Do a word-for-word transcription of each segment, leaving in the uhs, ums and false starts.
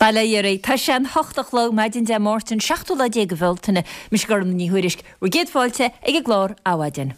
Bail ó Dhia oraibh. Tá sé an hocht a chlog maidin Dé Máirt an seachtú lá déag de Bhealtaine. Mise Gormfhlaith Ní Thuairisg, bhur gcéad fáilte ag an gclár Adhmhaidin.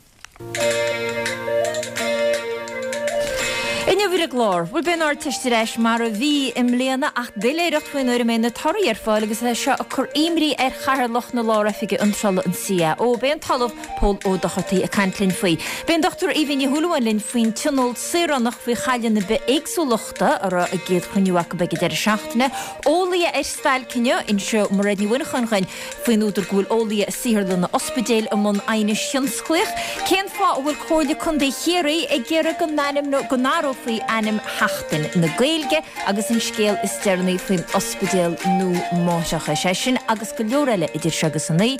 Inniu ar an gclár, bhuel beidh an Ardteist ar ais mar a bhí i mbliana ach doiléireacht faoin uair a mbeidh na torthaí ar fáil agus é seo ag cur imní ar Chathaoirleach na Lár-Oifige Iontrála an CAO. Beidh an tOllamh Pól Ó Dochartaigh ag caint linn faoi. Beidh an Dochtúir Aoibhinn Ní Shúilleabháin linn faoin Tionól Saoránach faoi chailleadh na bithéagsúlachta a raibh a gcéad chruinniú acu ag an deireadh seachtaine. Eolaithe ar stailc inniu, inseoidh Mairéad Ní Mhuineacháin dhuinn faoin údar go bhfuil eolaithe i saotharlanna ospidéil i mbun aighnis thionsclaíoch. Cén fáth a bhfuil Comhairle Contae Chiarraí ag iarraidh go n-ainmneo, go n-athrófaí ainm Sheachtain na Gaeilge agus an scéal is deireanaí faoin ospidéal nua máithreachais. É sin agus go leor eile idir seo agus a naoi.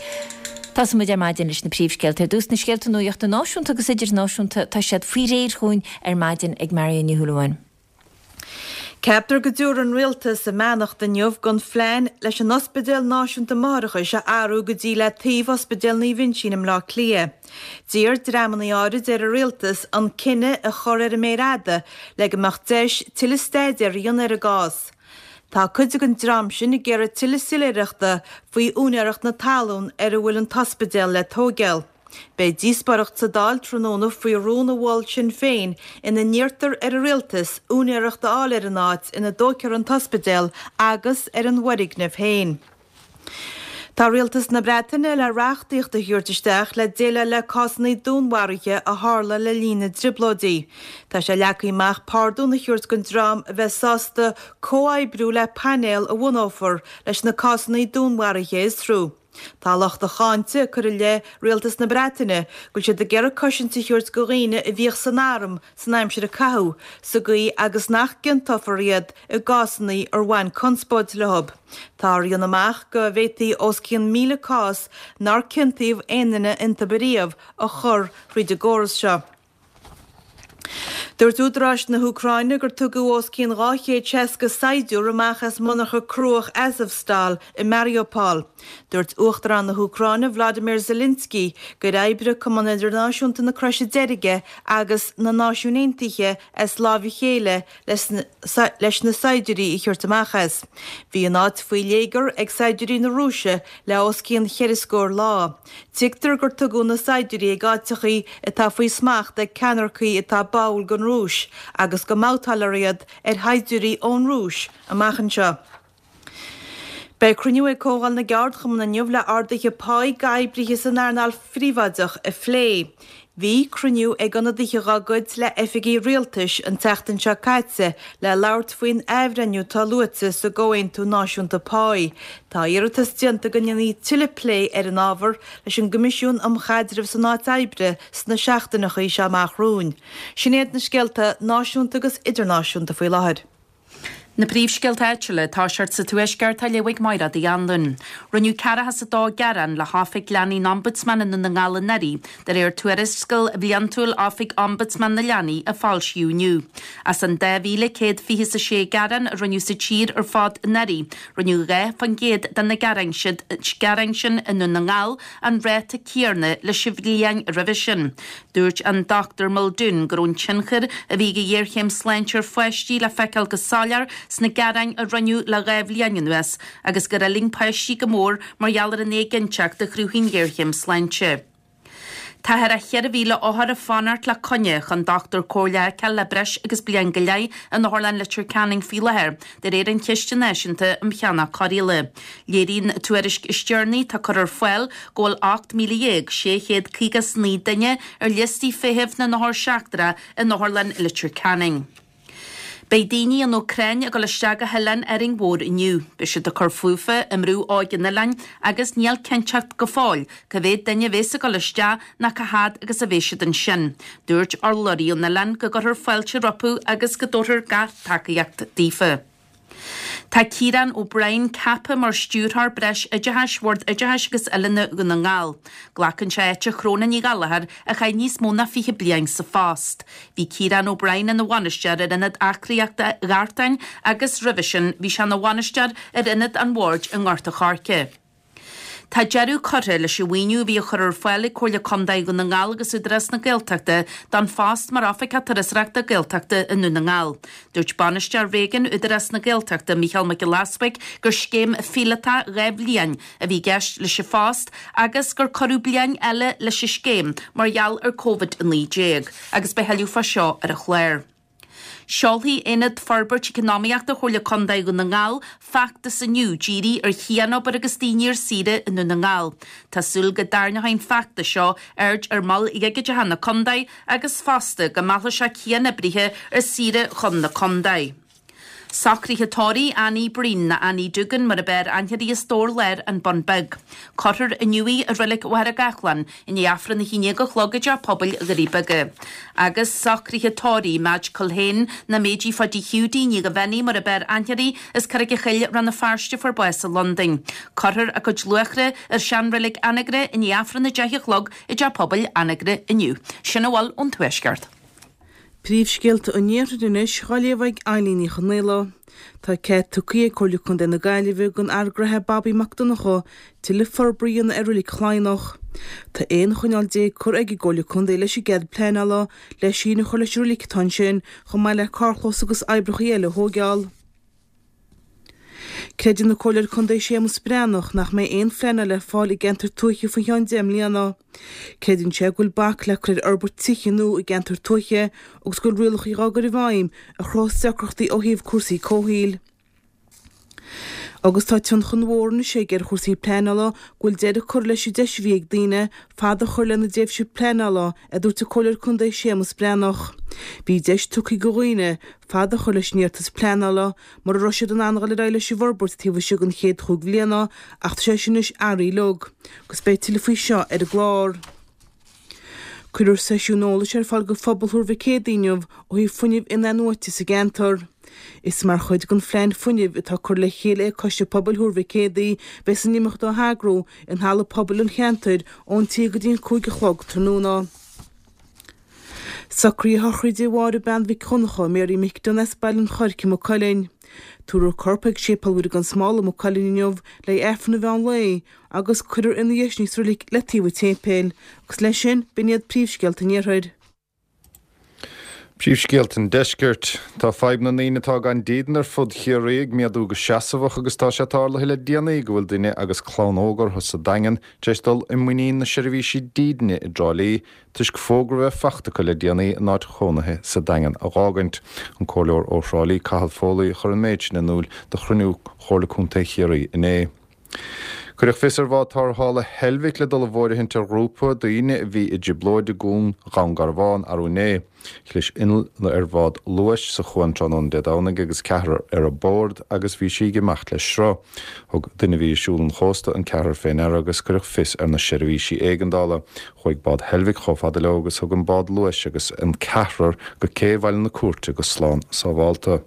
Tosóidh muid ar maidin leis na príomhscéalta. Ar dtús na scéalta nuachta náisiúnta agus idirnáisiúnta, tá siad faoi réir dhúinn ar maidin ag Marion Ní Shúilleabháin. Ceaptar go dtabharfaidh an Rialtas a mbeannacht inniu don phlean leis an Ospidéal Náisiúnta Máithreachais a athrú go dtí le taobh Ospidéal Naomh Uinseann i mBleá Cliath. D'iarr dreamanna áirid ar an Rialtas an cinneadh a chur ar an méar fhada le go mbeadh deis tuilleadh staidéir a dhéanamh ar an gcás. Tá cuid den dream sin ag iarraidh tuilleadh soiléireachta faoi úinéireacht na talún ar a bhfuil an t-ospidéal le tóigeáil. Beidh díospóireacht sa Dáil tráthnóna faoi rún a mhol Sinn Féin ina n-iarrtar ar an Rialtas úinéireacht a fháil ar an áit ina dtógfar an t-ospidéal agus ar an bhfoirgneamh féin. Tá Rialtas na Breataine le reachtaíocht a thabhairt isteach le déileáil le cásanna dúnmharuithe a tharla le linn na dTrioblóidí. Tá sé leagtha amach pardún a thabhairt don dream a bheas sásta comhoibriú le painéal a bhunófar leis na cásanna dúnmharuithe a fhiosrú. Tá lucht a cháinte ag cur i leith Rialtas na Breataine go bhfuil siad ag iarraidh cosaint a thabhairt do dhaoine a bhíodh san arm san aimsir a caitheadh, sa gcaoi agus nach gciontófar iad i gcásanna ar bhain conspóid leo. Táthar a dhéanamh amach go bhféadfaí os cionn míle cás nár ciontaíodh aon duine iontu ariamh a chur thríd an gcóras seo. Dúirt údaráis na hÚcráine gur tugadh os cionn dhá chéad seasca saighdiúir amach as monarcha cruach Azovstal i Mariupol. Dúirt Uachtarán na hÚcráine Vladimir Zelensky gur oibrigh Cumann Idirnáisiúnta na Croise Deirge agus na Náisiúin Aontaithe as láimh a chéile leis na saighdiúirí a thabhairt amach as. Bhí an áit faoi léigear ag saighdiúirí na Rúise le os cionn cheithre scór lá. Tuigtear gur tugadh na saighdiúirí ag áiteachaí atá faoi smacht ag ceannaircigh atá báúil don Rúis agus go mbabhtálfar iad ar shaighdiúirí ón Rúis amach anseo. Beidh cruinniú ag Comhdháil na gCeardchumann inniu le arduithe páí d'oibrithe san earnáil phríobháideach a phlé. Bhí cruinniú ag ionadaithe dá gcuid le oifigigh rialtais an tseachtain seo caite le labhairt faoin athbhreithniú atá luaite sa gComhaontú Náisiúnta Páí. Tá iarratas déanta go ndéanfaí tuilleadh plé ar an ábhar leis an gCoimisiún um Chaidreamh san Áit Oibre sna seachtaineacha seo amach romhainn. Sin iad na scéalta náisiúnta agus idirnáisiúnta faoi láthair. Na príomhscéalta áitiúla ag toiseacht sa Tuaisceart á léamh ag Mairéad Uí Anluain. Rinneadh ceathracha is a dó gearán le hOifig Leanaí an Ombudsman i nDún na nGall anuraidh, de réir tuarascáil bhliantúil Oifig Ombudsman na Leanaí a foilsíodh inniu. As an dá mhíle céad fiche is a sé gearán a rinneadh sa tír ar fad anuraidh, rinneadh dhá faoin gcéad de na gearáin sin i nDún na nGall, an ráta céanna leis an bhliain roimhe sin. Dúirt an Dochtúir Muldoon go raibh an tionchar a bhí ag an ghéarchéim sláinte ar pháistí le feiceáil go soiléir sna gearáin a rinneadh le dhá bhliain anuas agus gur fhulaing páistí go mór mar gheall ar an éiginnteacht a chruthaigh an ghéarchéim sláinte. Tá thar cheithre mhíle othar ag fanacht le coinne chun dochtúir comhairle a fheiceáil le breis agus bliain go leith in Otharlann Leitir Ceanainn faoi láthair, de réir an Chiste Náisiúnta um Cheannach Cóireála. Léiríonn an tuairisc is deireanaí atá curtha ar fáil go bhfuil ocht míle dhéag sé chéad caoga is naoi duine ar liostaí feithimh na n-othar seachtrach in Otharlann Leitir Ceanainn. Beidh daoine ón Úcráin ag dul isteach go hoileán Árainn Mhór inniu. Beidh siad ag cur fúthu i mBrú Óig an oileáin agus níl cinnteacht go fóill cá mhéad duine a bheas ag dul isteach ná cá fhad agus a bheidh siad ansin. Dúirt urlabhraí ón oileán go gcuirfear fáilte rompu agus go dtabharfar gach tacaíocht daofa. Tá Ciarán O'Brien ceaptha mar Stiúrthóir Breis Oideachais Bhord Oideachais agus Oiliúna Dhún na nGall. Glacann sé áit Shróna Ní Ghallchóir a chaith níos mó ná fiche bliain sa phost. Bhí Ciarán O'Brien ina bhainisteoir ar Ionad Aclaíochta Ghartáin agus roimhe sin bhí sé ina bhainisteoir ar Ionad an Bhoird i nGort a' Choirce. Tá deireadh curtha leis an mhaoiniú a bhí á chur ar fáil ag Comhairle Contae Dhún na nGall agus Údarás na Gaeltachta don phost mar Oifigeach Turasóireachta Gaeltachta i nDún na nGall. Dúirt Bainisteoir Réigiúin Údarás na Gaeltachta Mícheál Mac Giolla Easbuig gur scéim phíolótach dhá bhliain a bhí i gceist leis an phost agus gur cuireadh bliain eile leis an scéim mar gheall ar Covid a naoi déag agus beidh tuilleadh fá seo ar an chlár. Seolfaidh Aonad Forbairt Eacnamaíochta Chomhairle Contae Dhún na nGall feachtas inniu dírithe ar chianobair agus daoine ar saoire i nDún na nGall. Tá súil go dtarraingeoidh an feachtas seo aird ar mhoil dhigiteacha na contae agus fosta go meallfaidh sé cianoibrithe ar saoire chun na contae. Socruithe tórraimh Annie Breen nó Annie Duggan mar ab fhearr aithne uirthi as Dobhar Láir, An Bun Beag. Cuirfear inniu í i Reilig Mhachaire Gathlán i ndiaidh Aifreann a haon déag a chlog i dTeach Pobail Dhoirí Beaga. Agus socruithe tórraimh Madge Culhane nó Méidí Pháidí Hiúdaí Ní Ghabhánigh mar ab fhearr aithne uirthi as Carraig an Choill, Rann na Feirste a fuair bás i Londain. Cuirfear a cuid luachra ar seanreilig Anagaire i ndiaidh Aifreann a deich a chlog i dTeach Pobail Anagaire inniu. Sin a bhfuil ón Tuaisceart. Príomhscéalta an Iarthair anois, á léamh ag Eileen Ní Chonaola. Tá cead tugtha ag Comhairle Contae na Gaillimhe don fhear gnótha Bobby Mac Donncha tuilleadh forbartha a dhéanamh ar Reilig Chladhnach. Tá aon choinníoll déag curtha ag an gComhairle Contae leis an gcead pleanála le síneadh a chur leis an reilig atá ansin, chomh maith le carrchlós agus oibreacha eile a thóigeáil. Creideann an Comhairleoir Contae Séamus Breathnach nach mbeidh aon phleanáil ar fáil i gceantar tuaithe faoi cheann deich mbliana. Creideann sé go bhfuil bac le cur ar fhorbairt tithe nua i gceantar tuaithe agus go bhfuil rialacha á gcur i bhfeidhm a chruthós deacrachtaí ó thaobh cúrsaí comhshaoil. Agus tá tionchar mhór anois aige ar chúrsaí pleanála go bhfuil deireadh curtha leis an deis a bhí ag daoine fad a chur lena dtréimhse pleanála, a dúirt an Comhairleoir Contae Séamus Breathnach. Bhí deis tugtha do dhaoine fad a chur leis an iarratas pleanála mura raibh siad in ann dul ar aghaidh leis an bhforbairt taobh istigh den chéad chúig bhliana ach tá sé sin anois athraithe uilig. Agus beidh tuilleadh faoi seo ar an gclár. Cuirfear seisiún eolais ar fáil do phobal Thuar Mhic Éadaigh inniu ó thaobh fuinneamh in-athnuaite sa gceantar. Is mar chuid den phlean fuinnimh atá curtha le chéile ag Coiste Pobail Thuar Mhic Éadaigh bheas an imeacht á heagrú in halla pobail an cheantair ón trí go dtí an cúig a chlog tráthnóna. Socruithe sochraide Mháire Bean Mhic Dhonncha, Mary McDonagh as Baile an Choirce, Maigh Cuilinn. Tabharfar a corp ag Séipéal Mhuire gan Smál i Maigh Cuilinn inniu le Aifreann an mheán lae agus cuirfear ina dhiaidh sin í sa reilig le taobh an tséipéil. Agus leis sin, b'in iad príomhscéalta an Iarthair. Príomhscéalta an Deiscirt. Tá fadhb na ndaoine atá gan dídean ar fud Chiarraí ag méadú go seasmhach agus tá sé tarlaithe le déanaí go bhfuil duine agus clann óg orthu sa Daingean tar éis dul i muinín na seirbhísí dídine i dTrá Lí toisc fógra a bheith faighte acu le déanaí a n-áit chónaithe sa Daingean a dh'fhágaint. An Comhairleoir ó Thrá Lí Cathal Foley a chuir an méid sin in iúl do chruinniú Chomhairle Contae Chiarraí inné. Cuireadh fios ar bhád tarrthála Heilbhic le dul i bhfóirithint ar ghrúpa daoine a bhí i dtrioblóid i gCuan Dhún Garbhán arú inné. Chlis inneall ar bhád luais sa chuan tráthnóna Dé Domhnaigh agus ceathrar ar bord agus bhí sí ag imeacht le sruth. Thug duine a bhí ag siúl an chósta an ceathrar fé ndeara agus cuireadh fios ar na seirbhísí éigeandála. Chuaigh bád Heilbhic chomh fada leo agus thug an bád luais agus an ceathrar go cé Bhaile na Cúirte go slán sábhálta.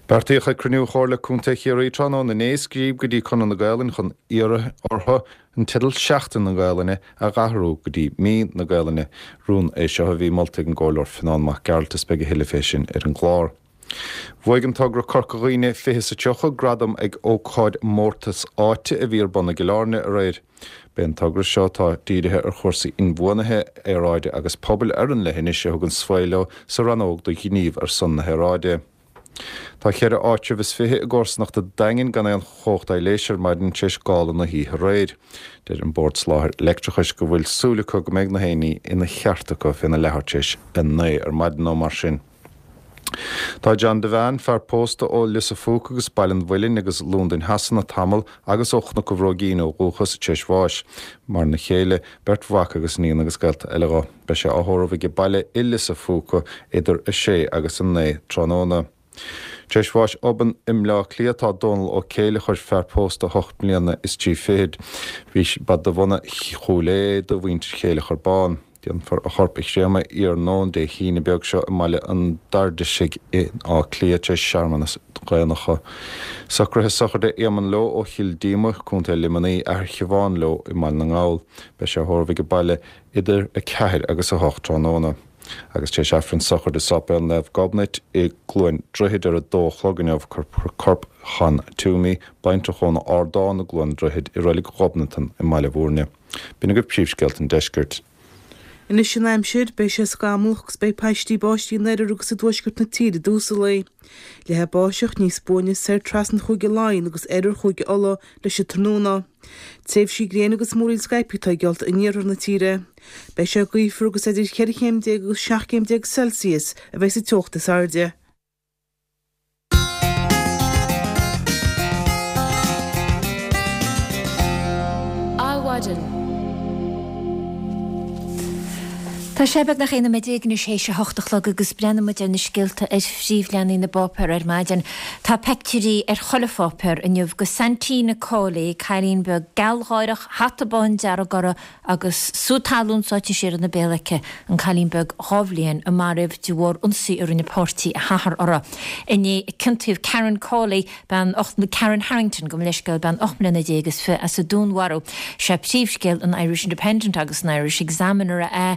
Beartaíodh ag cruinniú Chomhairle Contae Chiarraí tráthnóna inné scríobh go dtí Conradh na Gaelainne chun iarraidh orthu an teideal Seachtain na Gaelainne a dh'athrú go dtí Mí na Gaelainne. Rún é seo a bhí molta ag an gComhairleoir Fionán Mac Gearailt is beidh a thuilleadh fé sin ar an gclár. Bhuaigh an togra Corca Dhuibhne fiche is a tríocha gradam ag ócáid mórtas áite a bhí ar bun i gCill Airne aréir. B'é an togra seo atá dírithe ar chúrsaí inbhuanaithe, aeráide agus pobail ar an leithinis a thug an svae leo sa rannóg do ghníomh ar son na haeráide. Tá ceithre áitreabh is fiche i gcomharsanacht an Daingin gan aon chumhacht aibhléise ar maidin tar éis gála na hoíche aréir. Deir an Bord Soláthair Leictreachais go bhfuil súil acu go mbeidh na haon ní ina cheart acu féna leathuair tar éis a naoi ar maidin nó mar sin. Tá John Devane, fear pósta ó Lios a' Phúca agus Baile an Mhuilinn agus Londain Shasana tamall agus ó Chnoc an Bhróigín ó dhúchas tar éis bháis. Maireann a chéile, beirt mhac agus iníon agus gaolta eile dho. Beidh sé á thórramh ag baile i Lios a' Phúca idir a sé agus a naoi tráthnóna. Tar éis bháis obann i mBleá Cliath tá Dónal Ó Céileachair, fear pósta ocht mbliana is trí fichid. Bhí ba de bhunadh Chúil Aodha de mhuintir Chéileachair Bán. Déanfar a chorp a chréamadh iarnóin Dé hAoine beag seo i mBaile an Dairdisigh in Áth Cliath tar éis searmanas daonnacha. Socruithe sochraide Éamonn Leo ó Chill Díoma, Contae Luimnigh, athair Shiobhán Leo i mBaile na nGall. Beidh sé á thórramh ag baile idir a ceathair agus a hocht tráthnóna. Agus tar éis Aifreann sochraide i Séipéal Naomh Gobnait i gCluain Droichid ar a dó a chlog inniu cuirfear corp Chan Toomey, baintreach ón Ardán i gCluain Droichid i Reilig Ghobnatan i mBaile Bhúirne. B'in agaibh príomhscéalta an deiscirt. Anois an aimsir, beidh sé scamallach agus beidh paistí báistí in oirthear agus i dtuaisceart na tíre i dtús an lae. Leathfaidh báisteach níos buaine soir trasna Chúige Laighean agus oirthear Chúige Uladh leis an tráthnóna. Tréimhsí gréine agus múraíl scaipthe atá geallta in iarthar na tíre. Beidh sé gaofar agus idir cheithre chéim déag agus seacht gcéim déag Celsius a bheidh sa teocht is airde. Adhmhaidin. Tá sé beagnach aon nóiméad déag anois théis a hocht a chlog agus breathnaíonn muid ar na scéalta ar phríomhleathanaigh na bpáipéar ar maidin. Tá peictiúirí ar chuile pháipéar inniu go Santina Cawley, cailín beag gealgháireach, hata bán dearg uirthi agus sú talún sáite siar ina béal aici, an cailín beag dhá bhliain a maraíodh de bharr ionsaí a rinne páirtí a hathar uirthi. Inné ciontaíodh Karen Cawley, bean ocht Karen Harrington, gabh mo leithscéal, bean ocht mbliana déag is fiche as an dúnmharú. Sé príomhscéal an Irish Independent agus an Irish Examiner é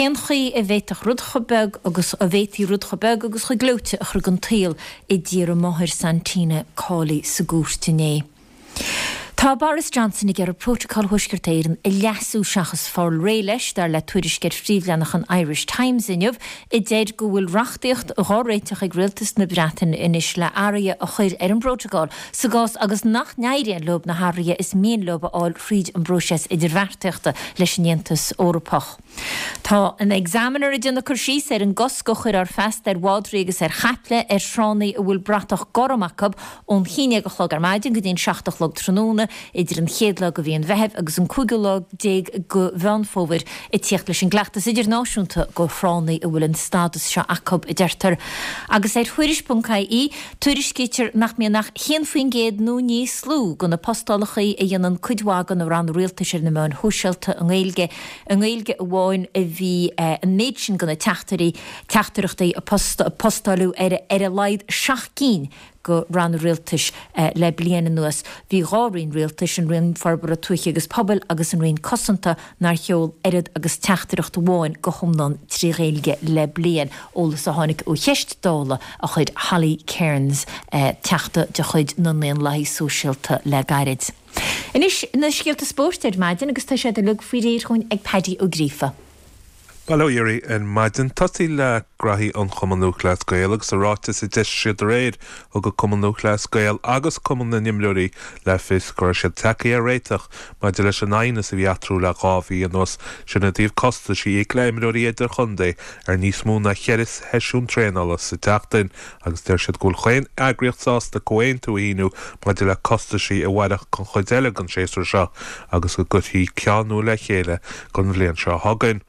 cén chaoi a bhféadfadh rud chomh beag agus a bhféadfaí rud chomh beag agus chomh gleoite a chur den tsaol a d'iarr a máthair Santina Cawley sa gcúirt inné. Tá Boris Johnson ag iarraidh Prótacal Thuaisceart Éireann a leasú seachas fáil réidh leis, dar le tuairisc ar phríomhleathanach an Irish Times inniu, a deir go bhfuil reachtaíocht dhá réiteach ag rialtas na Breataine anois le athruithe a chur ar an bprótacal sa gcás agus nach n-éiríonn leo na hathruithe is mian leo a fháil thríd an bpróiseas idirbheartaíochta leis an Aontas Eorpach. Tá an Examiner ag déanamh cur síos ar an gcosc a chuir Feasta ar mhadraí agus ar chaiple ar thránna a bhfuil bratach gorm acu ón haon déag a chlog ar maidin go dtí an seacht a chlog tráthnóna idir an chéad lá de mhí an Mheithimh agus an cúigiú lá déag de Mheán Fómhair ag tíocht leis an gcleachtas idirnáisiúnta go thránna a bhfuil an stádas seo acu, a deirtear. Agus ar Thuairisc ponc ie, tuairiscítear nach mbíonn ach haon faoin gcéad nó níos lú de na postálacha a dhéanann cuid mhaith de na ranna rialtais ar na meáin shóisialta i nGaeilge. I nGaeilge amháin a bhí an méid sin de na teachtairí, teachtaireachtaí a postáladh ar ar a laghad seacht gcinn de ranna rialtais le bliain anuas. Bhí dhá roinn rialtais, an Roinn Forbartha Tuaithe agus Pobail agus an Roinn Cosanta, nár sheol oiread agus teachtaireacht amháin go hiomlán trí Ghaeilge le bliain, eolas a tháinig ó cheist Dála a chuir Holly Cairns, Teachta de chuid na nDaonlathaithe Sóisialta le gairid. Anois na scéalta spóirt ar maidin agus tá siad uilig faoi réir chugainn ag Paddy Ó Gríofa. Bail ó Dhia oraibh ar maidin. Tosaí le graithí an Chumann Lúthchleas Gael agus i ráiteas a d'eisigh siad aréir thug an Cumann Lúthchleas Gael agus Cumann na nImreoirí le fios go raibh siad tagtha ar réiteach maidir leis an aighneas a bhí eatarthu le dhá mhí anuas, sin i dtaobh costais a íoc le imreoirí idirchontae ar níos mó ná cheithre sheisiún traenála sa tseachtain agus deir siad go bhfuil chaon eagraíocht sásta comhaontú a shíniú maidir le costaisí a mhairfeadh don chuid eile den séasúr seo agus go gcuirfí ceann nua le chéile don bhliain seo chugainn.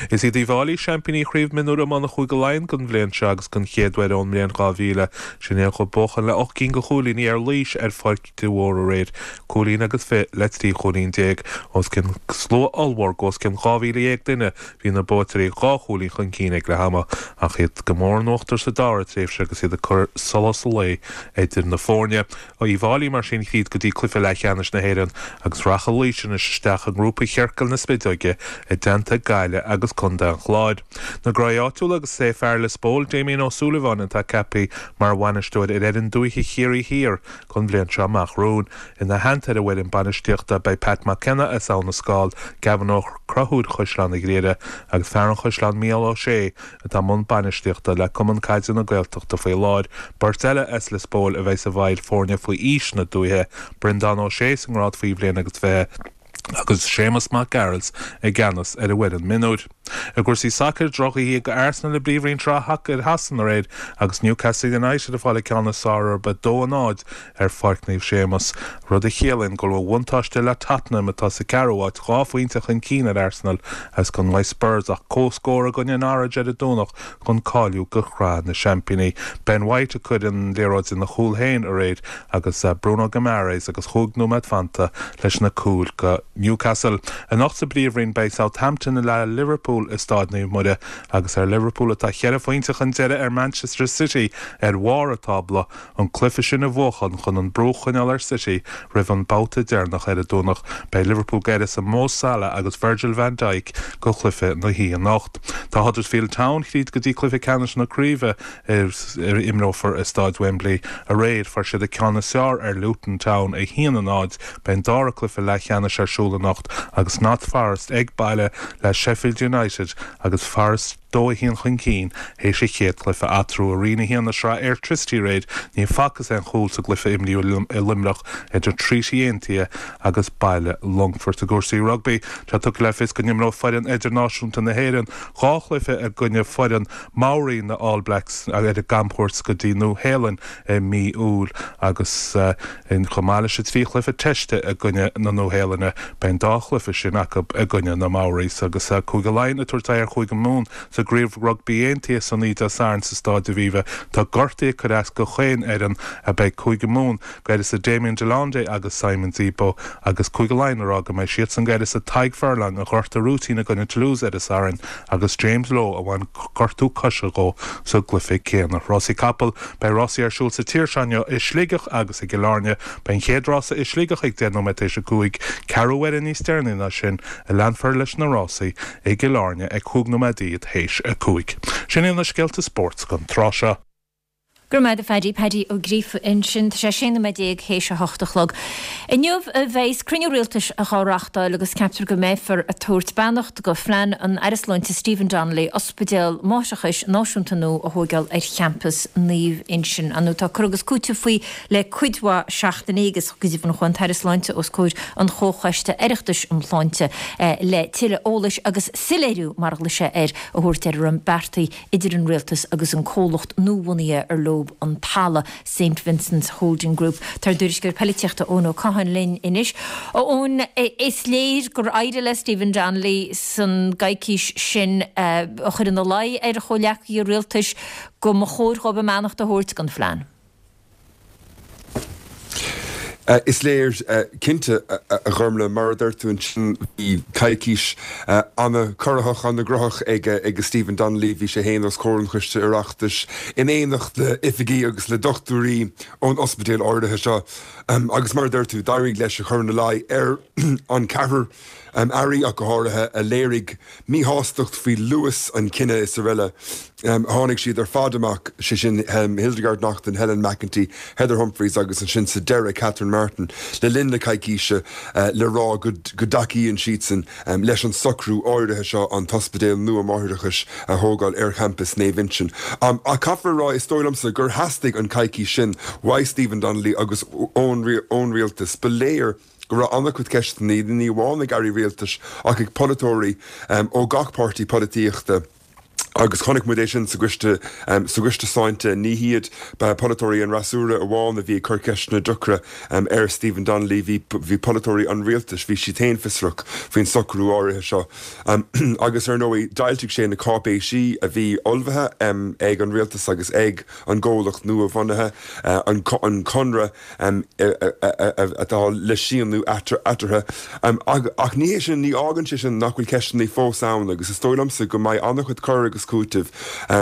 Is iad Uíbh Fhailí seaimpíní Chraobh Mionúr Iomána Chúige Laighean don bhliain seo agus don chéad uair ón mbliain dhá mhíle. Sin é ag buachan le ocht gcinn de chúilíní ar Laois ar Pháirc de Mhórdha aréir, cúilín agus fiche le trí chúilín déag. Os cionn slua ollmhór de os cionn dhá mhíle dhéag duine bhí na buaiteoirí dhá chúilín chun cinn ag leath ama ach iad go mór in uachtar sa dara tréimhse agus iad ag cur solas an lae idir na foirne. Uíbh Fhailí mar sin tríd go dtí cluiche leathcheannais na hÉireann agus rachaidh Laois anois isteach i ngrúpa chiorcal na spideoige i dteannta Gaillimh agus Contae an Chláir. Na gnóthaí áitiúla agus is é fear Lios Póil, Damien Ó Súilleabháin atá ceaptha mar bhainisteoir ar fhoireann dúiche Chiarraí Thiar don bhliain seo amach romhainn. Ina theannta ar an bhfoireann bainistíochta beidh Pat McKenna as Abha na Scáil, Gavin Ó Conchúir Chaisleán an Ghriaire agus fear an Chaisleáin Mícheál Ó Sé atá i mbun bainistíochta le Cumann Caide na Gaeltachta faoi láthair. Beirt eile as Lios Póil a bheidh i bhfeighil foirne faoi aois na dúiche, Breandán Ó Sé sa ngrád faoi bhliain agus fiche agus Séamus Mac Gearailt i gceannas ar an bhfoireann mionúir. I gcúrsaí sacair, drochoíche ag Arsenal i bPríomhroinn Shacair Shasana aréir agus Newcastle United ag fáil an ceann is fearr orthu a dó a náid ar Pháirc Naomh Séamus, rud a chiallaíonn go bhfuil buntáiste le Tottenham atá sa ceathrú háit dhá phointe chun cinn ar Arsenal agus gan le Spurs ach comhscór i gcoinne Norwich ar an Domhnach chun cáiliú go Sraith na Seaimpíní. Ben White a chuir an liathróid ina chúl féin aréir agus Bruno Guimaraes agus chúig nóiméad fanta leis na cúil go Newcastle. Anocht sa bPríomhroinn beidh Southampton le Liverpool Liverpool i Staid Naomh Muire agus ar Liverpool atá ceithre phointe chun deiridh ar Manchester City ar bharr an tábla an cluiche sin a bhuachan chun an brú a choinneáil ar City roimh an babhta deireanach ar an Domhnach. Beidh Liverpool d'uireasa Mo Salah agus Virgil van Dijk go chluiche na hoíche anocht. Tá Huddersfield Town tríd go dtí cluiche ceannais na craoibhe a imreofar i Staid Wembley aréir fuair siad an ceann is fearr ar Luton Town a haon a náid beidh an dara cluiche leathcheannais ar siúl anocht agus Notts Forest ag baile le Sheffield United agus Forest dó a haon chun cinn théis an chéad chluiche eatarthu i Roinn a haon na Sraithe Airtricity aréir ní facthas aon chúl sa gcluiche a imríodh i Luimneach idir Treaty Aontaithe agus Baile Longfoirt i gcúrsaí rugbaí. Tá tugtha le fios go n-imreoidh foireann idirnáisiúnta na hÉireann dhá chluiche i gcoinne foireann Maori na All Blacks ar a gcamchuairt go dtí Nua-Shéalainn i mí Iúil agus chomh maith leis an trí chluiche teiste i gcoinne na Nua-Shéalainne beidh an dá chluiche sin acu i gcoinne na Maoris agus Cúige Laighean ag tabhairt aghaidh ar Chúige Mumhan sa gCraobh Rugbaí Aontaithe san oíche Dé Sathairn sa Staid Aviva. Tá gortaithe ag cur as do chaon fhoireann beidh Cúige Mumhan d'uireasa Damian de Allende agus Simon Zebo agus Cúige Laighean ag rá go mbeidh siadsan d'uireasa Tadhg Furlong a ghortaigh rúitín i gcoinne Toulouse ar an Satharn agus James Lowe a bhain gortú coise dhó sa gcluiche céanna. Rásaí capall beidh rásaí ar siúl sa tír seo inniu i Sligeach agus i gCill Airne. Beidh an chéad rása i Sligeach ag deich nóiméad théis a cúig, ceathrú uaire níos deireanaí ná sin a leanfar leis na rásaí i gCill Airne ag cúig nóiméad théis a cúig. Sin iad na scéalta spóirt don tráth seo. Go raibh maith agat a Phaddy, Paddy Ó Gríofa ansin, tá sé sé nóiméad déag théis a hocht a chlog. Inniu a bheas cruinniú rialtais á reáchtáil agus ceaptar go mbeifear ag tabhairt beannacht go phlean an Aire Sláinte Stephen Donnelly ospidéal máithreachais náisiúnta nua a thógáil ar champas Naomh Uinseann. An tá cur agus cúiteamh faoi le cuid mhaith seachtainí agus go deimhin chuaigh an tAire Sláinte os comhair an Chomhchoiste Oireachtais um Shláinte le tuilleadh eolais agus soiléiriú mar a ghlaoigh sé air a thabhairt ar a raibh beartaithe idir an rialtas agus an comhlacht nuabhunaithe ar leo an talamh St Vincent's Holding Group. Tá ár dtuairisceoir polaitíochta Eoin Ó Catháin linn anois. Eoin is léir gur éirigh le Stephen Donnelly san gcoicís sin a chur ina luí ar a chomhghleacaithe rialtais go mba chóir dóibh a mbeannacht a thabhairt don phlean. Is léir cinnte a Ghormlaith, mar a dúirt tú ansin, bhí coicís an-chorraitheach, an-ghnóthach ag ag Stephen Donnelly, bhí sé féin os comhair an Choiste Oireachtais in éineacht le oifigigh agus le dochtúirí ón ospidéal áirithe seo agus mar a dúirt tú, d'éirigh leis a chur ina luí ar an ceathrar airí ach go háirithe a léirigh míshástacht faoi luas an chinnidh is araile. Tháinig siad ar fad amach, sé sin Hildegarde Naughton, Helen McEntee, Heather Humphreys agus ansin sa deireadh Catherine Martin le linn na coicíse le rá go dtacaíonn siadsan leis an socrú áirithe seo an t-ospidéal nua máithreachais a thógáil ar champas Naomh Uinseann. Ach caithfear a rá, is dóigh liomsa gur theastaigh an coicís sin uaidh Stephen Donnelly agus ón rialtas. Ba léir go raibh an-chuid ceisteanna, ní amháin ag airí rialtais ach ag polaiteoirí ó gach páirtí polaitíochta. Agus chonaic muid é sin sa gcoiste, sa gcoiste sláinte. Ní hiad polaiteoirí an fhreasúra amháin a bhí ag cur ceisteanna deacra ar Stephen Donnelly, bhí, bhí polaiteoirí an rialtais, bhí siad féin fiosrach faoin socrú áirithe seo. Agus ar ndóigh, d'fhoilsigh sé na cáipéisí a bhí ullmhaithe ag an rialtas agus ag an gcomhlacht nua-bhunaithe, an conradh atá le síniú eatarthu. Ach ní hé sin, ní fhágann sé sin nach bhfuil ceisteanna fós ann agus is dóigh liomsa go mbeidh an-chuid cur agus cúitimh,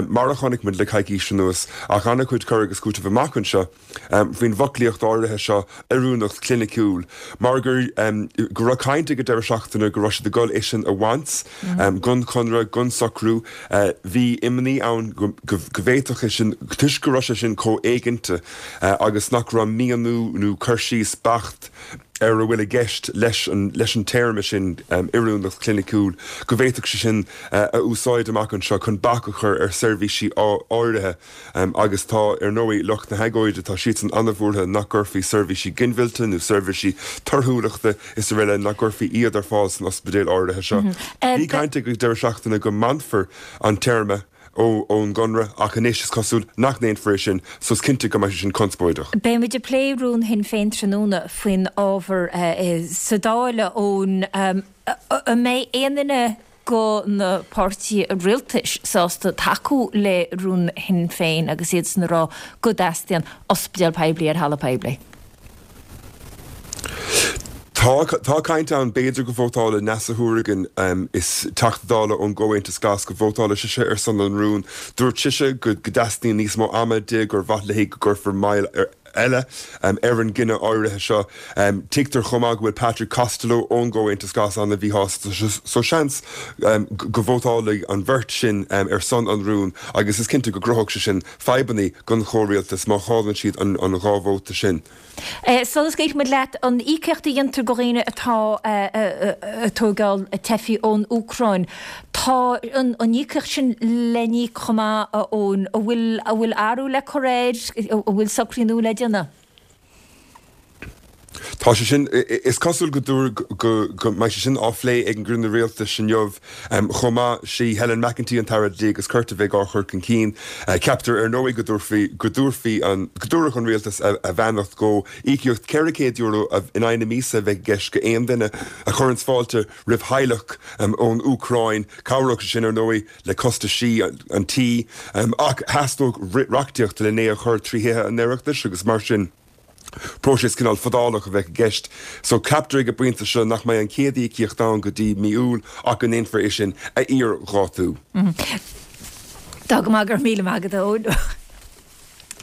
mar a chonaic muid le coicís anuas, ach an-chuid cur agus cúitimh amach anseo faoin bhfoclaíocht áirithe seo, oiriúnacht chliniciúil, mar gur go raibh caint ag an deireadh seachtaine go raibh siad ag dul é sin a bhaint den chonradh, den socrú. Bhí imní ann go bhféadfadh é sin, toisc go raibh sé sin chomh éiginnte agus nach raibh míniú nó cur síos beacht ar a bhfuil i gceist leis an leis an téarma sin oiriúnacht chliniciúil, go bhféadfadh sé sin a úsáid amach anseo chun bac a chur ar seirbhísí áirithe agus tá, ar ndóigh, lucht na hagóide, tá siadsan an-bhuartha nach gcuirfí seirbhísí ginmhillte nó seirbhísí torthúlachta is araile, nach gcuirfí iad ar fáil san ospidéal áirithe seo. Bhí caint ag an deireadh seachtaine go mbainfear an téarma ón gconradh ach anois is cosúil nach ndéanfar é sin so is cinnte go mbeidh sé sin conspóideach. Beidh muid ag plé rún Shinn Féin tráthnóna faoin ábhar sa Dáil, Eoin. An mbeidh aon duine go na páirtithe rialtais sásta tacú le rún Shinn Féin agus iadsan ag rá go dteastaíonn ospidéal poiblí ar thalamh poiblí? Tá Tá tá caint ann b'fhéidir go vótálfaidh Neasa Hourigan um, is Teachta Dála ón gComhaontas Glas go vótálfaidh sise ar son an rúin. Dúirt sise go go dteastaíonn níos mó ama di gur mhaith léi go gcuirfear moill ar eile um, ar an gcinneadh áirithe seo. Um, Tuigtear chomh maith go bhfuil Patrick Costello ón gComhaontas Glas an-mhíshásta so seans um, go vótálfaidh an bheirt sin um, ar son an rúin agus is cinnte go gcruthódh sé sin fadhbanna don chomhrialtas má chailleann siad an, an dhá vóta sin. Eh, Sula scaoilfidh muid leat an íocaíocht a dhéantar do dhaoine atá ag tógáil teifigh ón Úcráin. Tá an íocaíocht sin le n-íoc chomh maith a Eoin, an bhfuil an bhfuil athrú le cur air, an bhfuil socruithe nua le déanamh? Tá sé sin is cosúil go dúr go go mbeidh sé sin á phlé ag an gcruinniú rialtais inniu chomh maith sí Helen McEntee an tAire Dlí agus Cirt a bheidh á chur chun cinn. Ceaptar ar ndóigh go dtabharfaí go dtabharfaí an go dtabharfadh an rialtas a a bheannacht go íocaíocht ceithre chéad euro in aghaidh na míosa a bheith i gceist go aon duine a chuireann fáilte roimh theaghlach ón Úcráin. Cabhródh sé sin ar ndóigh le costaisí an tí ach theastódh reachtaíocht le é a chur trí thithe an Oireachtais agus mar sin. Próiseas cineál fadálach a bheith i gceist, so ceaptar ag an bpointe seo nach mbeidh an chéad íocaíocht ann go dtí mí Iúil ach go ndéanfar é sin a iardhátú. Tá go maith, go raibh míle maith agat, a Eoin.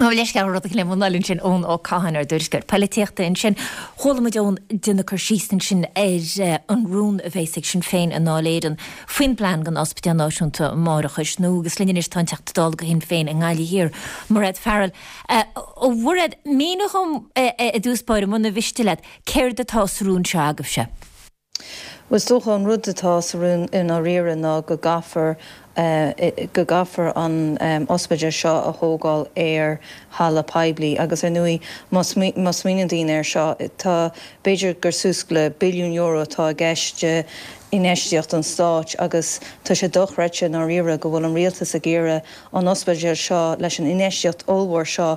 Nó leis rud le mun sin Eoin Ó Catháin ár dtuairisceoir polaitíochta ansin. Chuala muid Eoin ag déanamh cur síos ansin ar an rún a bheas ag Sinn Féin i nDáil Éireann faoin bplean don Ospidéal Náisiúnta Máithreachais nua agus linn anois tá an Teachta Dála do Shinn Féin i nGaillimh Thiar, Mairéad Farrell. A Mhairéad, mínigh dom i dtús báire muna mhiste leat, céard atá sa rún seo agaibhse? Bhuel, is dócha an rud atá sa rún i ndáiríre ná go gcaithfear go gcaithfear an ospidéal seo a thógáil ar thalamh poiblí agus ar ndóigh má smaoiníonn daoine air seo tá b'fhéidir gur suas le billiún euro atá i gceist de infheistíocht an stáit agus tá sé dochreidte i ndáiríre go bhfuil an rialtas ag iarraidh an ospidéal seo leis an infheistíocht ollmhór seo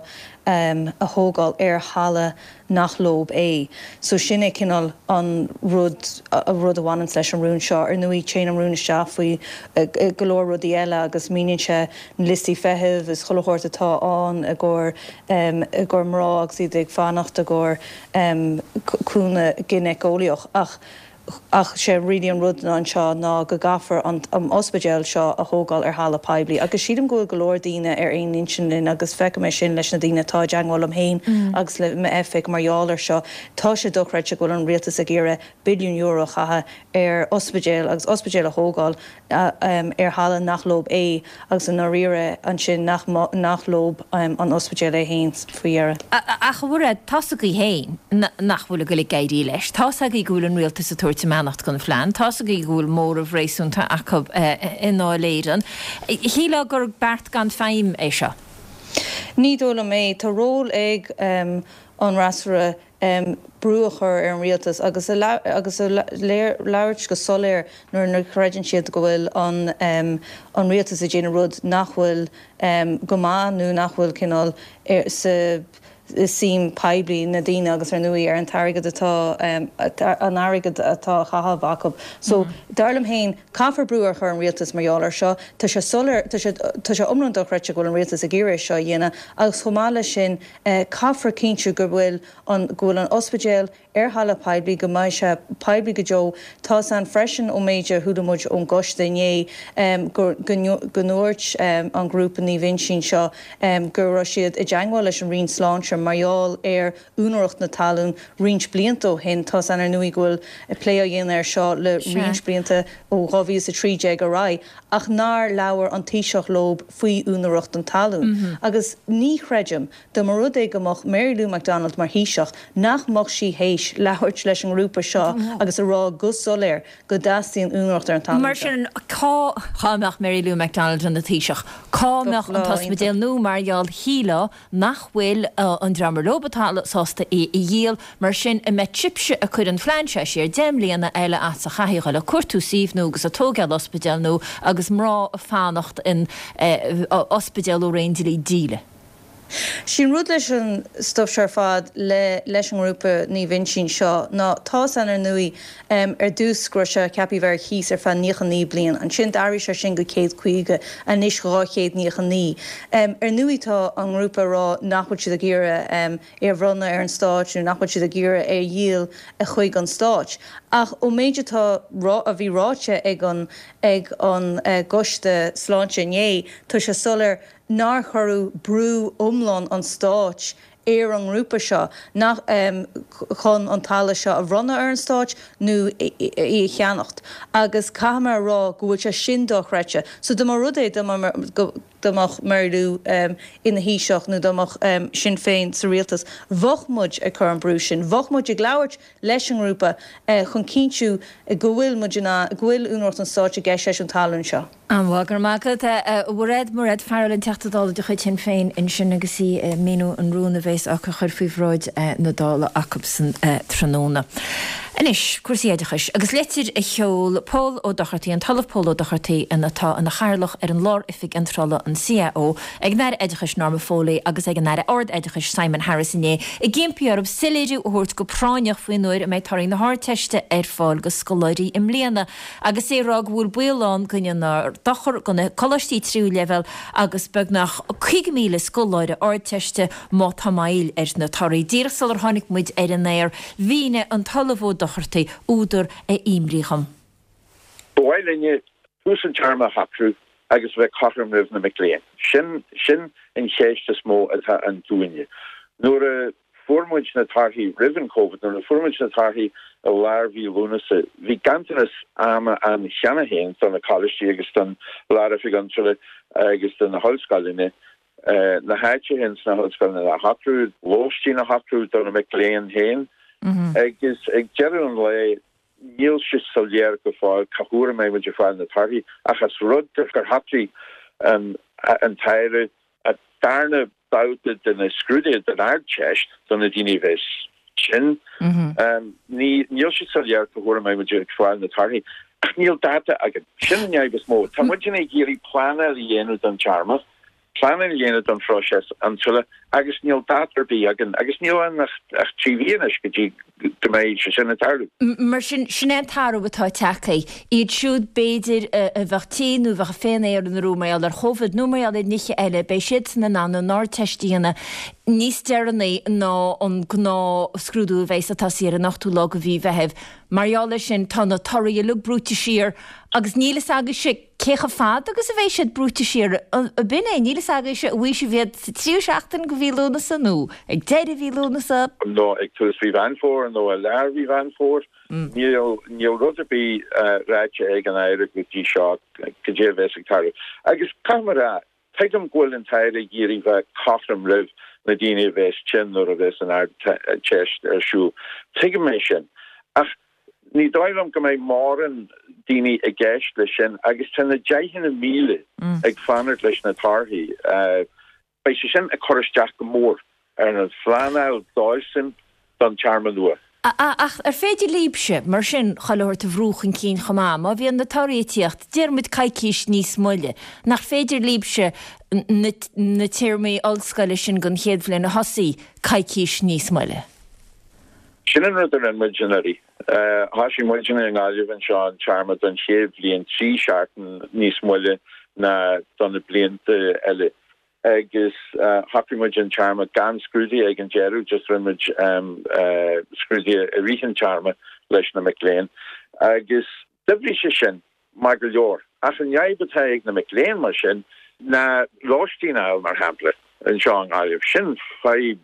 a thógáil ar thalamh nach leob é. So sin é cineál an rud a rud a bhaineanns leis an rún seo. Ar ndóigh téann an rún isteach faoi go leor rudaí eile agus míníonn sé na liostaí feithimh is chuile shórt atá ann i gcomhair i gcomhair mná agus iad ag fanacht i gcomhair cúnamh ginéiceolaíoch ach Ach sé really an rud ná anseo ná go gcaithfear an ospidéal seo a thógáil ar thalamh poiblí agus sílim go bhfuil go leor daoine ar aon intinn linn agus feicim é sin leis na daoine atá i dteagmháil liom féin agus le m'oifig mar gheall air seo. Tá sé dochreidte go bhfuil an rialtas ag iarraidh billiún euro a chaitheamh ar ospidéal agus ospidéal a thógáil ar thalamh nach leob é agus i ndáiríre ansin nach nach leob an ospidéal é féin faoi dheireadh. Ach a Mhairéad, tá's agaibh féin nach bhfuil ag goil ag éirí leis. Tá's agaibh go bhfuil an rialtas ag tabhairt a mbeannacht don phlean. Tá's agaibh go bhfuil móramh réasúnta acu i nDáil Éireann. Shílfeá gur beart gan feidhm é seo. Ní dóigh liom é. Tá ról ag an fhreasúra brú a chur ar an rialtas agus agus a labhairt go soiléir nuair nach gcreideann siad go bhfuil an an rialtas ag déanamh rud nach bhfuil go maith nó nach bhfuil cineál sa suim poiblí na daoine agus ar ndóigh ar an t-airgead atá an airgead atá á chaitheamh acu. So dar liom féin caithfear brú a chur ar an rialtas mar gheall air seo. Tá sé soiléir tá sé tá sé iomlán dochreidte go bhfuil an rialtas ag iarraidh é seo a dhéanamh agus chomh maith leis sin caithfear cinntiú go bhfuil an go bhfuil an ospidéal ar thalamh poiblí, go mbeidh sé poiblí go deo. Tá's a'inn freisin ón méid a chuala muid ón gcoiste inné go go ndúirt an grúpa Naomh Uinseann seo go raibh siad i dteagmháil leis an Roinn Sláinte mar gheall ar úinéireacht na talún roinnt blianta ó shin. Tá's a'inn ar ndóigh go bhfuil plé á dhéanamh air seo le roinnt blianta ó dhá mhíle is a trí déag ar aghaidh ach nár labhair an Taoiseach leo faoi úinéireacht an talún. Agus ní chreidim Dá mba rud é go mbeadh Mary Lou McDonald mar Thaoiseach, nach mbeadh sí théis labhairt leis an ngrúpa seo agus a rá go soiléir go dteastaíonn úinéireacht ar an talamh Mar seo. sin, cá, dhá mbeadh Mary Lou McDonald ina Taoiseach, cá mbeadh an Lá iontach. t-ospidéal nua mar gheall shílfeá nach bhfuil an dream ar leob an talamh sásta é a dhíol, mar sin, an mbeidh sibhse ag cur an phlean seo siar deich mbliana eile as a chaithfidh a dhul ag cuartú suímh nua agus ag tógáil ospidéal nua agus mná ag fanacht in ospidéal ó ré an dlí díle? Sin rud leis an stuif seo ar fad le leis an ngrúpa Naomh Uinseann seo ná tá's againn ar ndóigh ar dtús go raibh sé ceaptha bheith ar cíos ar feadh naocha naoi bliain, ansin d'athraigh sé sin go céad caoga, anois dhá chéad naocha naoi. Ar ndóigh tá an ngrúpa ag rá nach bhfuil siad ag iarraidh é a bhronnadh ar an Stáit nó nach bhfuil siad ag iarraidh é a dhíol chuig an Stáit. Ach ón méid atá a bhí ráite ag an ag an gCoiste Sláinte inné tá sé soiléir nár cuireadh brú iomlán an stáit ar an ngrúpa seo nach chun an talamh seo a bhronnadh ar an stáit nó í a cheannacht agus caithfidh mé a rá go bhfuil sé sin dochreidte. So dá mba rud é dá mbeadh Mary Lou ina Thaoiseach nó dá mbeadh Sinn Féin sa rialtas, bheadh muid ag cur an brú sin, bheadh muid ag labhairt leis an ngrúpa chun cinntiú go bhfuil muid in ann, go bhfuil úinéireacht an stáit i gceist leis an talún seo. An-mhaith, go raibh maith agat. A Mhairéad, Mairéad Farrell, an Teachta Dála de chuid Shinn Féin ansin agus í ag míniú an rún a bhéas á chur faoi bhráid na Dála acubsan tráthnóna. Anois, cúrsaí oideachais agus litir a sheol Pól Ó Dochartaigh, an tOllamh Pól Ó Dochartaigh, atá ina chathaoirleach ar an Lár-Oifig Iontrála, an CAO, ag an Aire Oideachais Norma Foley agus ag an Aire Ard-Oideachais Simon Harris inné, ag impí orthu soiléiriú a thabhairt go práinneach faoin uair a mbeidh torthaí na hArdteiste ar fáil go scoláirí i mbliana agus é ag rá go bhfuil baol ann go ndéanfar dochar do na coláistí tríú leibhéal agus beagnach caoga míle scoláire Ardteiste má tá moill ar na torthaí. Díreach sular tháinig muid ar an aer, mhínigh an tOllamh Ó Dochartaigh údar a imní dhom. Ba mhaith linne tús an téarma a shocrú agus a bheith cothrom roimh na mic léinn. Sin sin an cheist is mó atá ann dúinne. Nuair a fuair muid na torthaí roimh an Covid, nuair a fuair muid na torthaí i lár mhí Lúnasa, bhí ganntanas ama ann cheana féin do na coláistí agus don Lár-Oifig Iontrála agus do na hollscoileanna na háiteacha ins na hollscoileanna a shocrú, lóistín a shocrú do na mic léinn féin. Agus ag deireadh an lae, níl sé soiléir go fóill cá huair a mbeidh muid ag fáil na torthaí, ach as rud gur shocraigh an tAire an darna babhta de na scrúduithe den Ardteist do na daoine a bheas tinn, níl sé soiléir cá huair a mbeidh muid ag fáil na torthaí. Ach níl dáta againn. Sin an fhadhb is mó. Tá muidne ag iarraidh pleanáil a dhéanamh don téarma. Pleanáil a dhéanamh don phróiseas iontrála agus níl dáta ar bith againn agus níl ann ach trí mhí anois go dtí go mbeidh sé sin ag tarlú. Mar sin, sin é an t-athrú atá tagtha. Iad siúd, b'fhéidir, a bheadh tinn nó a bheadh féin-aonrú mar gheall ar Chóvid nó mar gheall ar nithe eile, beidh siadsan in ann an Ardteist a dhéanamh níos deireanaí ná an gnáthscrúdú a bheas ag tosaí ar an ochtú lá de mhí Mheithimh. Mar gheall air sin, tá na torthaí uilig brúite siar agus níl fhios agaibhse cé chomh fada agus a bheidh siad brúite siar. Ab in é? Níl fhios agaibhse an bhfaighidh sibh iad sa tríú seachtain de mhí Lúnasa nó ag deireadh mhí Lúnasa. Nó ag tús mhí Mheán Fómhair nó i lár mhí Mheán Fómhair. Níl níl rud ar bith ráite ag an Aire go dtí seo cad é a bheas ag tarlú. Agus caithfidh mé a rá, tuigim go bhfuil an tAire ag iarraidh bheith cothrom roimh na daoine a bheas tinn nuair a bheas an Ardteist ar siúl. Tuigim é sin. Ach ní dóigh liom go mbeidh mórán daoine i gceist leis sin agus tá na deicheanna míle ag fanacht leis na torthaí. Beidh sé sin ag cur isteach go mór ar an phleanáil dóibhsean don téarma nua. Ach ar féidir libhse, mar sin, chuile shórt a bhrú chun cinn chomh maith, má bhíonn na torthaí ag tíocht, deir muid coicís níos moille, nach féidir libhse na téarmaí ollscoile sin don chéad bhliain a thosaí coicís níos moille? Sin an rud a rinne muid anuraidh. Thosaigh muidne i nGaillimh anseo an téarma don chéad bhliain trí seachtain níos moille ná do na blianta eile agus shocraigh muid an téarma gan scrúduithe ag an deireadh, just rinne muid scrúduithe i rith an téarma leis na mic léinn agus d'oibrigh sé sin maith go leor. Ach an fhadhb atá ag na mic léinn mar sin ná lóistín a fháil, mar shampla, anseo i nGaillimh. Sin fadhb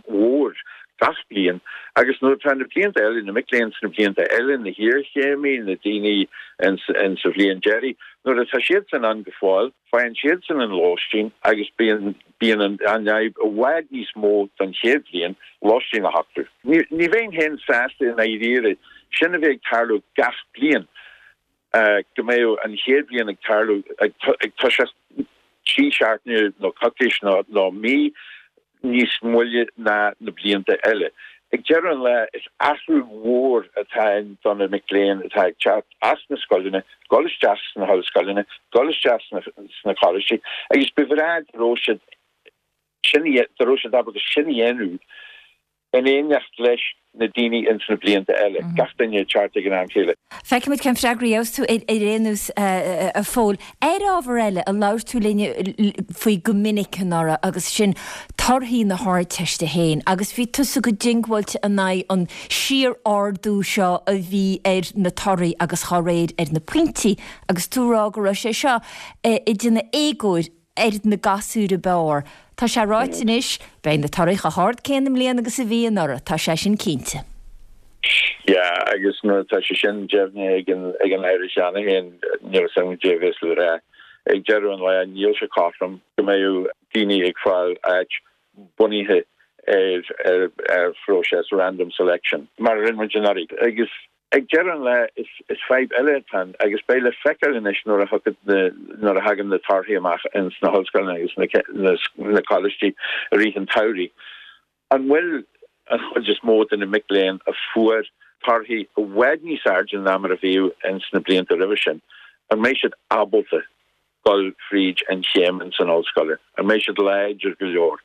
mhór gach bliain agus nuair atá na blianta eile, na mic léinn sna blianta eile, na hiarchéimí, na daoine in sa bhliain deiridh, nuair atá siadsan ann go fóill, faigheann siadsan an lóistín agus bíonn bíonn an fhadhb i bhfad níos mó don chéad bhliain, lóistín a shocrú. Ní bheinn féin sásta i ndáiríre sin a bheith ag tarlú gach bliain. go mbeadh an chéad bhliain ag tarlú ag toiseacht trí seachtaine nó coicís nó mí níos moille ná na blianta eile. Ag deireadh an lae, is athrú mhór atá ann do na mic léinn atá ag teacht as na scoileanna, dul isteach sna hollscoileanna, dul isteach sna coláistí agus ba bhreá go raibh siad Sin dá raibh siad ábalta sin a dhéanamh in éineacht leis na daoine ins na blianta eile, gach duine ag teacht ag an am chéile. Feicfimid cén freagra a gheobhas tú ar aon nós, a Phóil. Ar ábhar eile a labhair tú linn faoi go minic anuraidh agus sin torthaí na hArdteiste féin agus bhí tusa go diongbháilte in aghaidh an síor-ardú seo a bhí ar na torthaí agus dá réir ar na pointí agus tú ag rá go raibh sé seo ag déanamh éagóir ar na gasúir ab fhearr. Tá sé ráite anois, beidh na torthaí chomh hard céanna i mbliana agus a bhí anuraidh, tá sé sin cinnte. Yeah, agus nuair atá sé sin deimhnithe ag an ag an Aire cheana féin, níl a fhios agam caidé a bheas le rá. Ag deireadh an lae, níl sé cothrom go mbeadh daoine ag fáil áit bunaithe ar ar ar phróiseas random selection, mar a rinne muid anuraidh. Agus Ag deireadh an lae, is fadhb eile atá ann agus beidh le feiceáil anois nuair a thiocfaidh na, nuair a thagann na torthaí amach ins na hollscoileanna agus na coláistí i rith an tsamhraidh, an bhfuil an chuid is mó de na mic léinn a fuair torthaí i bhfad níos airde ná mar a bhíodh ins na blianta roimhe sin, an mbeidh siad ábalta dul fríd an chéim ins an ollscoil? An mbeidh siad láidir go leor?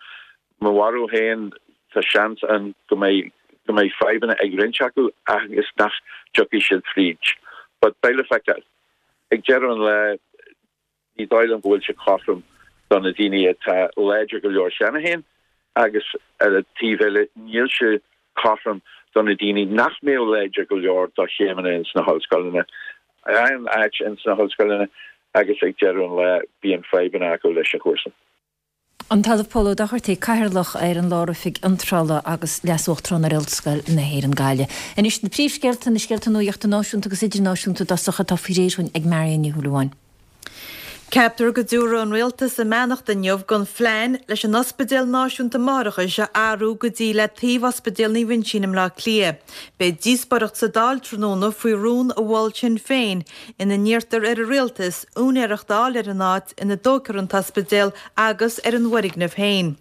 Mo bharúil féin, tá seans ann go mbeidh go mbeidh fadhbanna ag roinnt acu agus nach dtiocfaidh siad fríd. But beidh le feiceáil. Ag deireadh an lae, ní dóigh liom go bhfuil sé cothrom do na daoine atá láidir go leor cheana féin agus ar an taobh eile níl sé cothrom do na daoine nach mbeadh láidir go leor do chéimeanna ins na hollscoileanna, a fhaigheann áit ins na hollscoileanna agus ag deireadh an lae bíonn fadhbanna acu leis an chúrsa. An tOllamh Pól Ó Dochartaigh, Cathaoirleach ar an Lár-Oifig Iontrála agus Leas-Uachtarán ar Ollscoil na hÉireann, Gaillimh. Anois na príomhscéalta, na scéalta nuachta náisiúnta agus idirnáisiúnta i dtosach atá faoi réir dhúinn ag Marion Ní Shúilleabháin. Ceaptar go dtabharfaidh an Rialtas a mbeannacht inniu don phlean leis an Ospidéal Náisiúnta Máithreachais a athrú go dtí le taobh Ospidéal Naomh Uinseann i mBleá Cliath. Beidh díospóireacht sa Dáil tráthnóna faoi rún a mhol Sinn Féin ina n-iarrtar ar an Rialtas úinéireacht a fháil ar an áit ina dtógfar an t-ospidéal agus ar an bhfoirgneamh féin.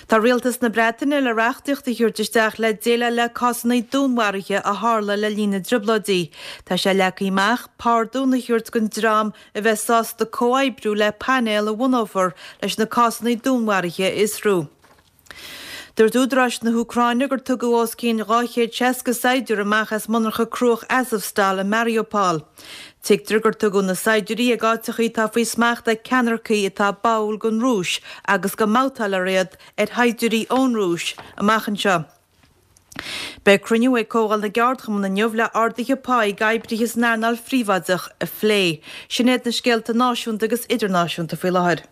Tá Rialtas na Breataine le reachtaíocht a thabhairt isteach le déileáil le cásanna dúnmharaithe a tharla le linn na dTrioblóidí. Tá sé leagtha amach pardún a thabhairt don dream a bheas sásta comhoibriú le painéal a bhunófar leis na cásanna dúnmharaithe a fhiosrú. Dúirt údaráis na hÚcráine gur tugadh os cionn dhá chéad seasca saighdiúir amach as monarcha cruach Azovstal i Mariupol. Tuigtear gur tugadh na saighdiúirí ag áiteachaí atá faoi smacht ag ceannaircigh atá báúil don Rúis agus go mbabhtálfar iad ar shaighdiúirí ón Rúis amach anseo. Beidh cruinniú ag Comhdháil na gCeardchumann inniu le arduithe pá ag oibrithe san earnáil phríobháideach a phlé. Sin iad na scéalta náisiúnta agus idirnáisiúnta faoi láthair.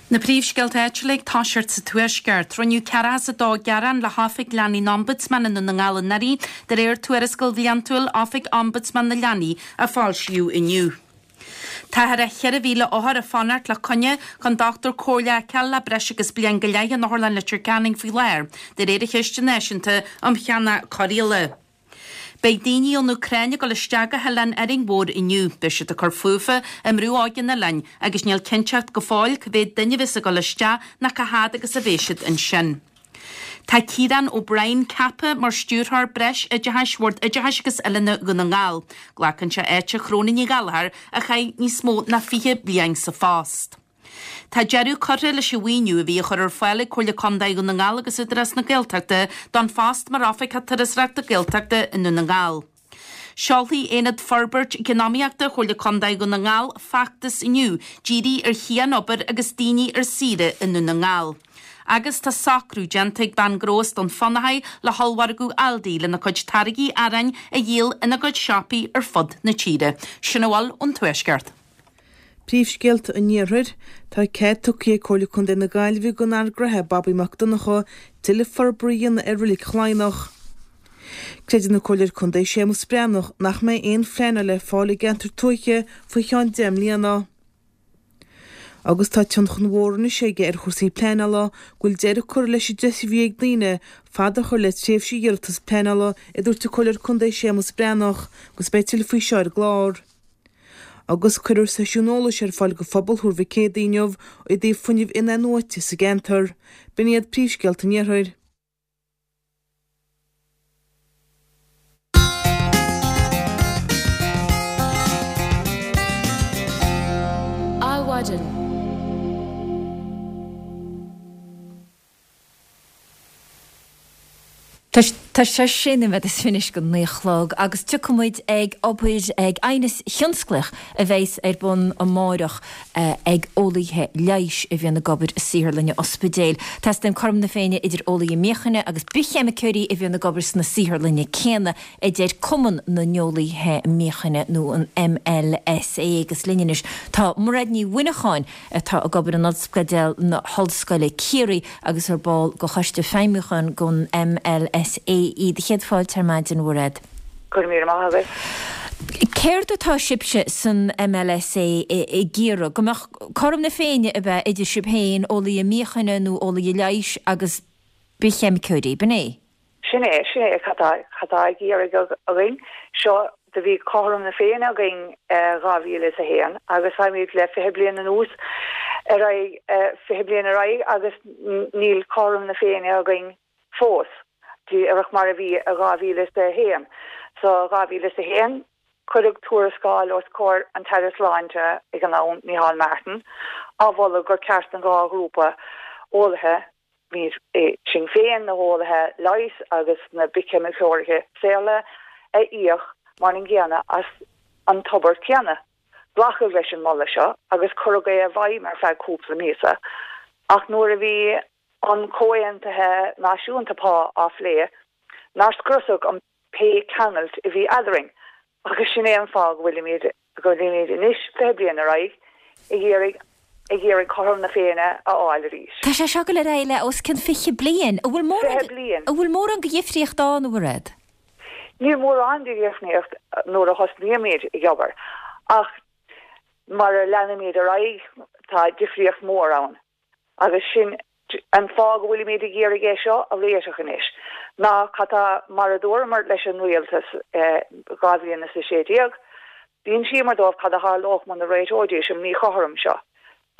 Na príomhscéalta áitiúla ag toiseacht sa Tuaisceart. Rinneadh ceathracha is a dó gearán le hOifig Leanaí an Ombudsman i nDún na nGall anuraidh, de réir tuarascáil bhliantúil Oifig Ombudsman na Leanaí a foilsíodh inniu. Táthar ar cheithre mhíle othar ag fanacht le coinne chun dochtúir comhairle a fheiceáil le breis agus bliain go leith in Otharlann Leitir Ceanainn faoi láthair, de réir an Chiste Náisiúnta um Cheannach Cóireála. Beidh daoine ón Úcráin ag dul isteach go hOileán Árainn Mhór inniu. Beidh siad ag cur fúthu i mBrú Óige an oileáin agus níl cinnteacht go fóill cá mhéad duine a bheas ag dul isteach ná cá fhad agus a bheidh siad ansin. Tá Ciarán O'Brien ceaptha mar Stiúrthóir Breis Oideachais Bhord Oideachais agus Oiliúna Dhún na nGall. Glacann sé áit Shróna Ní Ghallchóir a chaith níos mó ná fiche bliain sa phost. Tá deireadh curtha leis an mhaoiniú a bhí á chur ar fáil ag Comhairle Contae Dhún na nGall agus Údarás na Gaeltachta don phost mar Oifigeach Turasóireachta Gaeltachta i nDún na nGall. Seolfaidh Aonad Forbairt Eacnamaíochta Chomhairle Contae Dhún na nGall feachtas inniu dírithe ar chian-obair agus daoine ar saoire i nDún na nGall. Agus tá socrú déanta ag bean gnó as Dún Fionnachaidh le hollmhargadh Aldi lena cuid táirgí aráin a dhíol ina gcuid siopaí ar fud na tíre. Sin a bhfuil ón Tuaisceart. Príomhscéalta an Iarthair, Tá cead tugtha ag Comhairle Contae na Gaillimhe don fhear gnoithe Bobby Mac Donncha tuilleadh forbartha a dhéanamh ar Reilig Chladhnach. Creideann an Comhairleoir Contae Séamus Breathnach nach mbeidh aon phleanáil le fáil i gceantar tuaithe faoi cheann deich mbliana. Agus tá tionchar mhór anois aige ar chúrsaí pleanála go bhfuil deireadh curtha leis an deis a bhí ag daoine fad a chur le tréimhse iarratas pleanála a dúirt an Comhairleoir Contae Séamus Breathnach agus beidh tuilleadh faoi seo ar an gclár. Agus cuirfear seisiún eolais ar fáil go phobal Thuar Mhic Éadaigh inniu i dtaobh fuinneamh in-athnuaite sa gceantar. B'in iad príomhscéalta an Iarthair. Adhmhaidin. Tá sé sé nóiméad is fiche anois go naoi a chlog agus tiocfaidh muid ag obair ag aighneas thionsclaíoch a bheas ar bun amáireach ag eolaithe leighis a bhíonn ag obair i saotharlanna ospidéil. Teastaíonn cothrom na Féinne idir eolaithe míochaine agus bithcheimiceoirí a bhíonn ag obair sna saotharlanna céanna, a deir Cumann na nEolaithe Míochaine nó an MLSA agus linn anois tá Mairéad Ní Mhuineacháin atá ag obair in Ospidéal na hOllscoile Ciarraí agus ar ball de Choiste Feidhmiúcháin den MLSA í. Do chéad fáilte ar maidin, a Mhairéad. Go raibh míle maith agat. Céard atá sibhse san MLSA ag iarraidh? Go mbeadh cothrom na Féinne ab ea idir sibh féin, eolaithe míochaine nó eolaithe leighis agus bithcheimiceoirí, b'in é? Sin é, sin é cad tá, cad tá ag iarraidh againn. Seo, do bhí cothrom na Féinne againn dhá mhíle is a haon agus táimid le fiche bliain anuas ar aghaidh, fiche bliain ar aghaidh agus níl cothrom na Féinne againn fós, díreach mar a bhí i dhá mhíle is a haon. So, dhá mhíle is a haon, cuireadh tuarascáil os comhair an tAire Sláinte ag an am, Micheál Martin, á mholadh gur ceart an dhá ghrúpa eolaithe, sinn féin, na heolaithe leighis agus na bithcheimiceoirí saotharlainne, a íoc mar an gcéanna as an tobar céanna. Glacadh leis an moladh seo agus cuireadh é i bhfeidhm ar feadh cúpla míosa, ach nuair a bhí an Comhaontaithe Náisiúnta Pá á phlé, nár scriosadh an pé ceangailt a bhí eadrainn agus sin é an fáth go bhfuilimid go bhfuilimid anois, fiche bliain ar aghaidh, ag iarraidh ag iarraidh cothrom na Féinne a fháil arís. Tá sé seo ag dul ar aghaidh le os cionn fiche bliain. An bhfuil mórán Fiche bliain. An bhfuil mórán de dhifríocht ann, a Mhairéad? Níl mórán de dhifríocht nuair a thosnaímid ag obair, ach mar a leanaimid ar aghaidh, tá difríocht mhór ann. Agus sin an fáth go bhfuilimid ag iarraidh é seo a réiteach anois, ná cad tá, mar a dúramar leis an rialtas dhá bhliain is a sé déag, d'insíomar dóibh cad a tharlódh muna réiteoidís an míchothrom seo.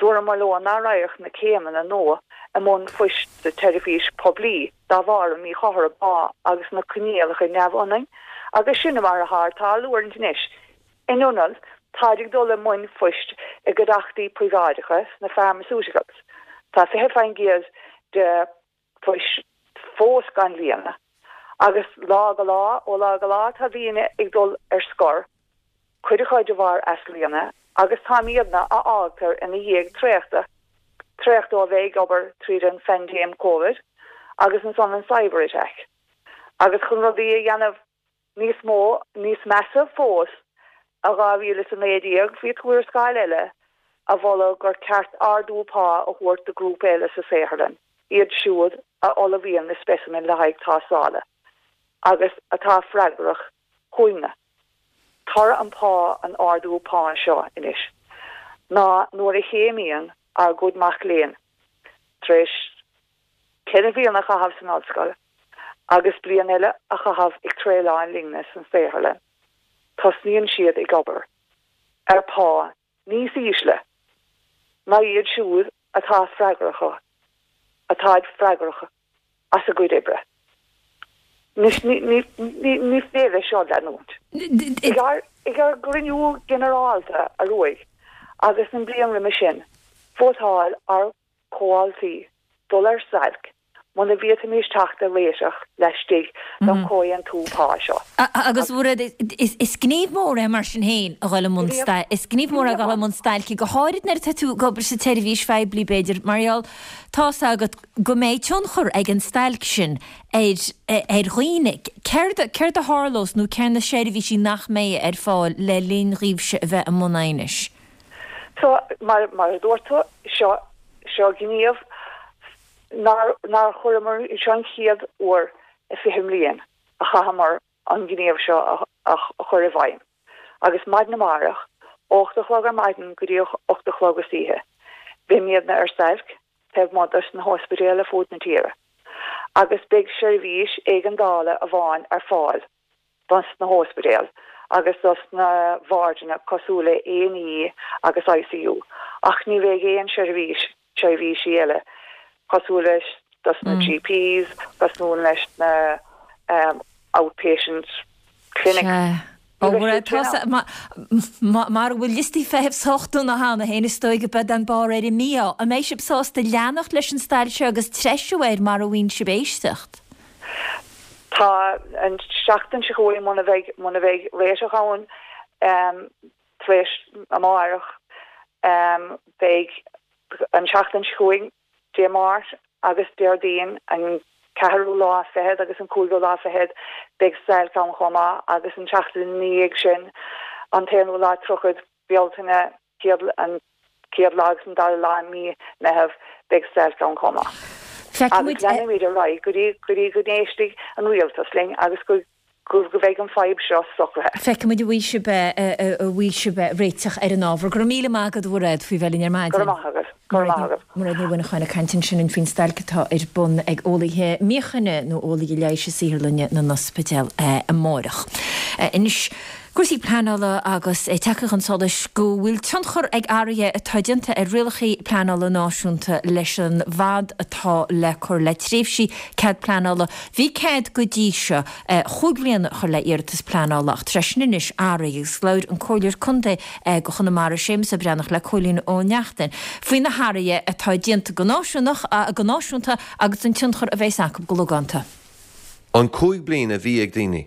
Dúramar leo nach raghadh na céimeanna nua i mbun phoist sa tseirbhís poiblí dá bharr an míchothrom pá agus na coinníollacha neamhionann, agus sin mar atá ag tarlú anois. In ionad, táid ag dul i mbun phoist i gcuideachtaí príobháideacha sna pharmaceuticals. Tá fiche faoin gcéad de phoist fós gan líonadh, agus lá go lá, ó lá go lá, tá daoine ag dul ar scor, cuid acu de bharr easlíonadh, agus táimidne a fhágtar ina dhiaidh traochta, traochta ó bheith ag obair tríd an phaindéim Covid agus ansan an cyber attack. Agus chun rudaí a dhéanamh Níos mó, níos measa fós, i dhá mhíle is a naoi déag bhí tuarascáil eile a mholadh gur ceart ardú pá a thabhairt do ghrúpa eile sa saotharlann, iad siúd a ullmhaíonn na specimen le haghaidh tástála agus atá freagrach chugainne. Toradh an pá an ardú pá seo anois ná nuair a chéimíonn ár gcuid mac léinn tar éis ceithre bhliain a chaitheamh san ollscoil agus bliain eile a chaitheamh ag traenáil linne san saotharlann, tosnaíonn siad ag obair ar phá níos ísle ná iad siúd atá freagrach atá freagrach as a gcuid oibre. Anois ní ní ní ní féidir leis seo leanúint. Ag ár ag ár gcruinniú ginearálta anuraidh agus an bliain roimhe sin, vótáil ár comhaltaí dul ar stailc muna bhféadfaimis teacht ar réiteach laistigh den chomhaontú pá seo. Agus is gníomh mór é mar sin féin a dhul i mbun is gníomh mór é a dhul i mbun stailce, go háirid nuair atá tú ag obair sa tseirbhís phoiblí b'fhéidir, mar gheall tá's agat go mbeidh tionchar ag an stailc sin ar ar dhaoine. Céard céard a tharlós nó céard na seirbhísí nach mbeidh ar fáil le linn dhaoibhse a bheith i mbun aighnis? So, mar mar a dúirt tú, seo seo gníomh nár nár chuireamar, seo an chéad uair i fiche mbliain a chaitheamar an gníomh seo a a chur i bhfeidhm. Agus maidin amárach, ocht a chlog ar maidin go dtí ocht a chlog istoíche, beimidne ar stailc taobh amuigh dos na hospidéil ar fud na tíre agus beidh seirbhís éigeandála amháin ar fáil dos na hóspidéil agus dos na bhardanna cosúil le A and E agus I C U, ach ní bheidh aon seirbhís seirbhísí eile cosúil leis dos na G Ps, cosúil leis na um, outpatient clinics. Ó mar bhfuil liostaí feithimh sách dona cheana féin is dóigh go beidh an barr ar an mí-ádh. An mbeidh sibh sásta leanacht leis an stailc seo agus treisiú air mar a bhíonn sibh éisteacht? Tá an seachtain seo chugainn muna bheidh muna bheidh réiteach ann um, tar éis amárach um, beidh an seachtain seo chugainn Dé Máirt agus Déardaoin an ceathrú lá fichead agus an cúigiú lá fichead beidh stailc ann chomh maith agus an seachtain ina dhiaidh sin an t-aonú lá tríochad Bealtaine céad an chéad lá agus an dara lá i mí Meitheamh beidh stailc ann chomh maith. Agus leanfaimid ar aghaidh go dtí go dtí go n-éistfidh an rialtas linn agus go go go bheidh an fadhb seo socraithe. Feicfimid an bhfaighidh sibh an bhfaighidh sibh réiteach ar an ábhar. Go raibh míle maith agat a Mhairéad faoi bheith linn ar maidin. Go raibh maith agat. Go raibh maith agat. Mairéad Ní Mhuineacháin ag caint ansin faoin stailc atá ar bun ag eolaithe míochaine nó eolaithe leighis i saotharlanna na n-ospidéal amárach. Anois Cúrsaí pleanála agus é tagtha chun solais go bhfuil tionchar ag athruithe atá déanta ar rialacha pleanála náisiúnta leis an bhfad atá le cur le tréimhsí cead pleanála. Bhí cead go dtí seo chúig bhliana a chur le iarratas pleanála ach tá sé sin anois athraithe agus labhair an Comhairleoir Contae do Chonamara Séamus Ó Breathnach le Cóilín Ó Neachtain faoi na hathruithe atá déanta go náisiúnach go náisiúnta agus an tionchar a bheas acu go logánta. An cúig bliana a bhí ag daoine.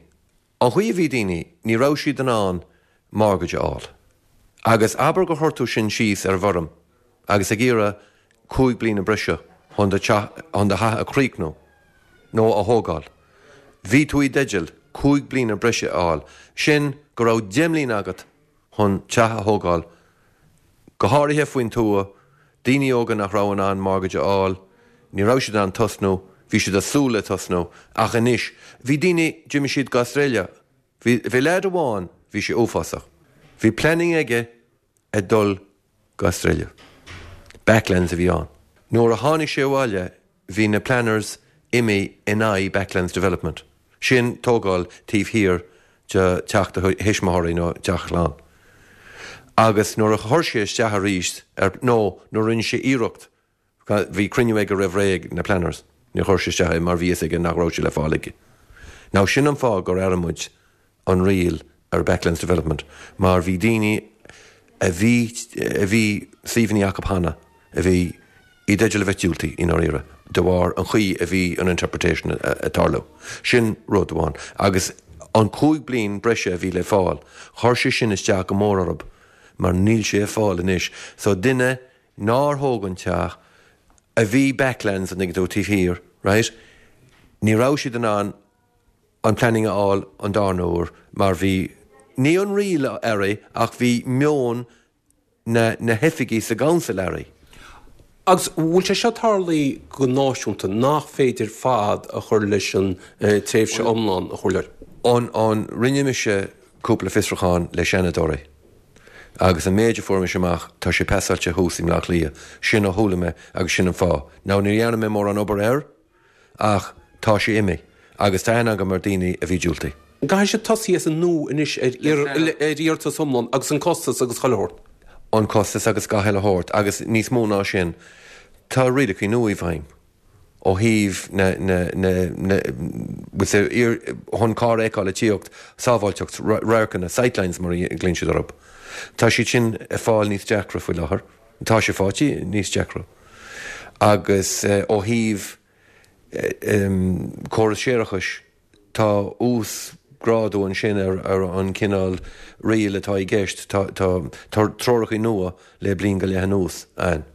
An chaoi a bhí daoine, ní raibh siad in ann mortgage a fháil. Agus abair gur chuir tú sin síos ar an bhfoirm agus ag iarraidh cúig bliana breise chun do theach chun do theach a chríochnú nó a thógáil. Bhí tú i dteideal cúig bliana breise a fháil. Sin go raibh deich mbliana agat chun teach a thógáil, go háirithe faoin tuath, daoine óga nach raibh in ann mortgage a fháil, ní raibh siad in ann tosnú, bhí siad ag súil le tosnú, ach anois, bhí daoine, d'imigh siad go Australia, bhí, bhí leaid amháin, bhí sé uafásach, bhí planning aige ag dul go Australia. Backlands a bhí ann. Nuair a tháinig sé abhaile, bhí na planners imithe in aghaidh Backlands Development. Sin tógáil taobh thiar de teach do thuismitheoirí nó teach a chlann. Agus nuair a chuir sé isteach arís ar, nó nuair a rinne sé iarracht, bhí cruinniú aige roimh ré ag na planners, níor chuir sé isteach é mar bhí fhios aige nach raibh sé le fáil aige. Now sin an fáth gur athraigh muid an riail ar Backlands Development mar bhí daoine a bhí, a bhí suíomhanna acu cheana a bhí i dteideal a bheith diúltaithe i ndáiríre de bharr an chaoi a bhí an interpretation ag tarlú. Sin rud amháin. Agus an cúig bliain breise a bhí le fáil, chuir sé sin isteach go mór orthu mar níl sé ar fáil anois. So duine nár thóg an teach, a bhí backlands an dtuigeann tú taobh thiar, right? Ní raibh siad in ann an planning a fháil an darna huair mar bhí, ní an riail athraithe ach bhí meon na na hoifigí sa gcouncil athraithe. Agus bhfuil sé seo tarlaithe go náisiúnta nach féidir fad a chur leis an tréimhse iomlán a chur leis? An, an, rinne mise cúpla fiosrúchán le seanadóirí agus an méid a fuair mise amach, tá sé pasáilte thuas i mBleá Cliath. Sin a chuala mé agus sin an fáth. Now ní dhearna mé mórán obair air ach tá sé imithe agus tá aithne agam ar daoine a bhí diúltaithe. Caithfidh siad tosaí as an nua anois ar ar iarratas iomlán agus an costas agus chuile shórt. An costas agus gach uile shórt agus níos mó ná sin, tá rialacha nua i bhfeidhm ó thaobh na, na, na, na, bhfuil chun carr a fheiceáil ag tíocht, sábháilteacht, radharcanna, sightlines mar a ghlaonn siad orthu. Tá siad sin ag fáil níos deacra faoi láthair. Tá sé faighte níos deacra. Agus ó thaobh córas séarachais, tá uasghrádú ansin ar ar an cineál riail atá i gceist. Tá tá treoracha nua le bliain go leith anuas ann.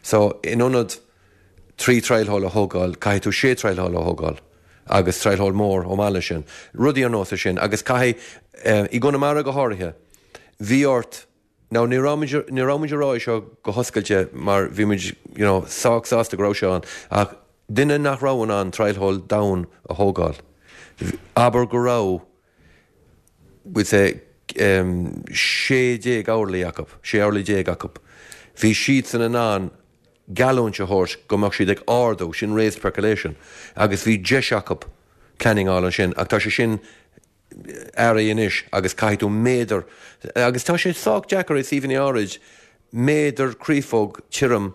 So in ionad trí trial hole a thógáil, caithfidh tú sé trial hole a thógáil agus trial hole mór chomh maith leis sin. Rudaí ar nós é sin. Agus caithfidh, i gConamara go háirithe, bhí ort, now ní raibh muid, ní raibh muid ag rá é seo go hoscailte mar bhí muid, you know, sách sásta go raibh sé ann, ach duine nach raibh in ann trial hole domhain a thógáil, abair go raibh, we'll say, sé déag orlaí acu, sé orlaí déag acu, bhí siadsan in ann geallúint a thabhairt go mbeadh siad ag ardú, sin raised percolation, agus bhí deis acu planning a fháil ansin, ach tá sé sin athraithe anois agus caithfidh tú méadar, agus tá sé sách deacair i suíomhanna áirid, méadar créafóg tirim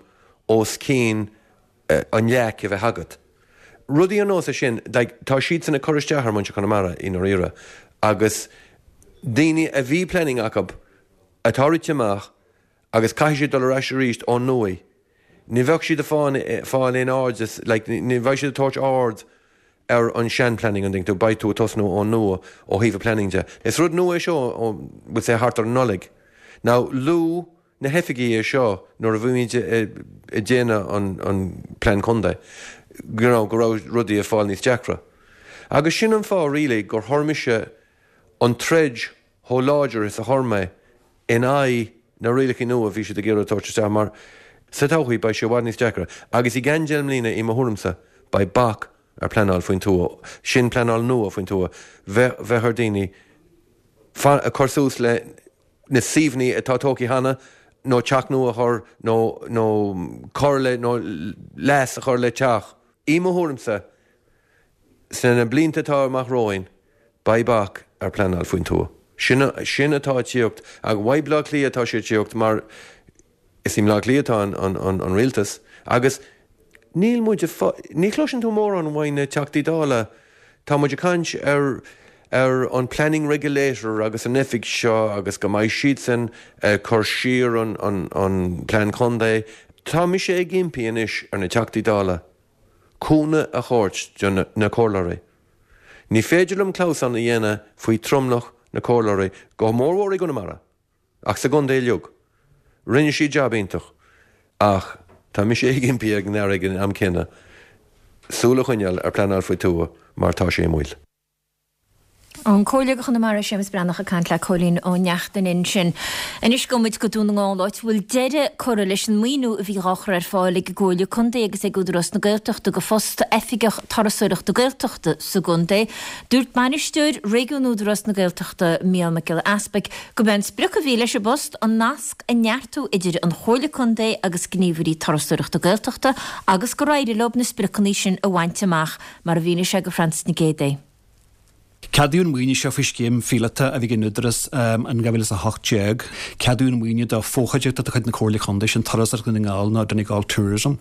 os cionn an leac a bheith agat. Rudaí ar nós é sin, like, tá siadsan ag cur isteach ar muintir Chonamara i ndáiríre agus daoine a bhí planning acu atá rite amach agus caithfidh siad dul ar ais arís ón nua, ní bheadh siad ag fáil aon aird, like, ní bheidh siad ag tabhairt aird ar an sean-planning an dtuigeann tú, beidh tú ag tosnú ón nua ó thaobh an planning de. Is rud nua é seo ó, we'll say thart ar an Nollaig. Now luaigh na hoifigí é seo nuair a bhí muid ag déanamh an, an plean contae, you know, go raibh rudaí ag fáil níos deacra. Agus sin an fáth really gur chuir mise an troid chomh láidir is a chuir mé in aghaidh na rialacha nua a bhí siad ag iarraidh a thabhairt isteach mar sa todhchaí beidh sé i bhfad níos deacra agus i gceann deich mbliana i mo thuairimse beidh bac ar pleanáil faoin tuath, sin pleanáil nua faoin tuath, bheith bheith ar daoine cur suas le na suíomhanna atá tógtha cheana nó teach nua a chur nó nó cur le nó leas a chur le teach. I mo thuairimse sna blianta atá amach romhainn beidh bac ar pleanáil faoin tuath. Sin sin atá ag tíocht ach uaidh Bleá Cliath atá sé ag tíocht mar is i mBleá Cliath atá an, an, an, an rialtas agus níl muid ní chloiseann tú mórán uaidh na Teachtaí Dála tá muid ag caint ar ar an planning regulator agus an oifig seo agus go mbeidh siadsan ag cur siar an, an, an plean contae. Tá mise ag impí anois ar na Teachtaí Dála cúnamh a thabhairt do na, na comhairleoirí. Ní féidir liom clamhsán a dhéanamh faoi tromlach na comhairleoirí, go mórmhór i gConamara, ach sa gcontae uilig. Rinne siad jab iontach, ach tá mise ag impí ag an Aire ag an am céanna súil a choinneáil ar pleanáil faoi tuath mar tá sé i mbaol. An Comhairleoir do Chonamara Séamus Breathnach ag caint le Cóilín Ó Neachtain ansin. Anois gabhfaidh muid go Dún na nGall áit a bhfuil deireadh curtha leis an maoiniú a bhí dhá chur ar fáil ag an gComhairle Contae agus ag Údarás na Gaeltachta do phost Oifigeach Turasóireachta Gaeltachta sa gcontae. Dúirt Bainisteoir Réigiún Údarás na Gaeltachta Mícheál Mac Giolla Easpaig go b'é an sprioc a bhí leis an bpost an nasc a neartú idir an Chomhairle Contae agus gníomhairí turasóireachta Gaeltachta agus gur éirigh leo na spriocanna sin a bhaint amach mar a mhínigh sé do Francis Nic Géadaigh. Ceadaíodh an maoiniú seo faoi scéim phíolóta a bhí ag an Údarás in dhá mhíle is a hocht déag. Ceadaíodh an maoiniú do fhochuideachta de chuid na Comhairle Contae, sin Turasóireacht Dhún na nGall nó Donegal Tourism.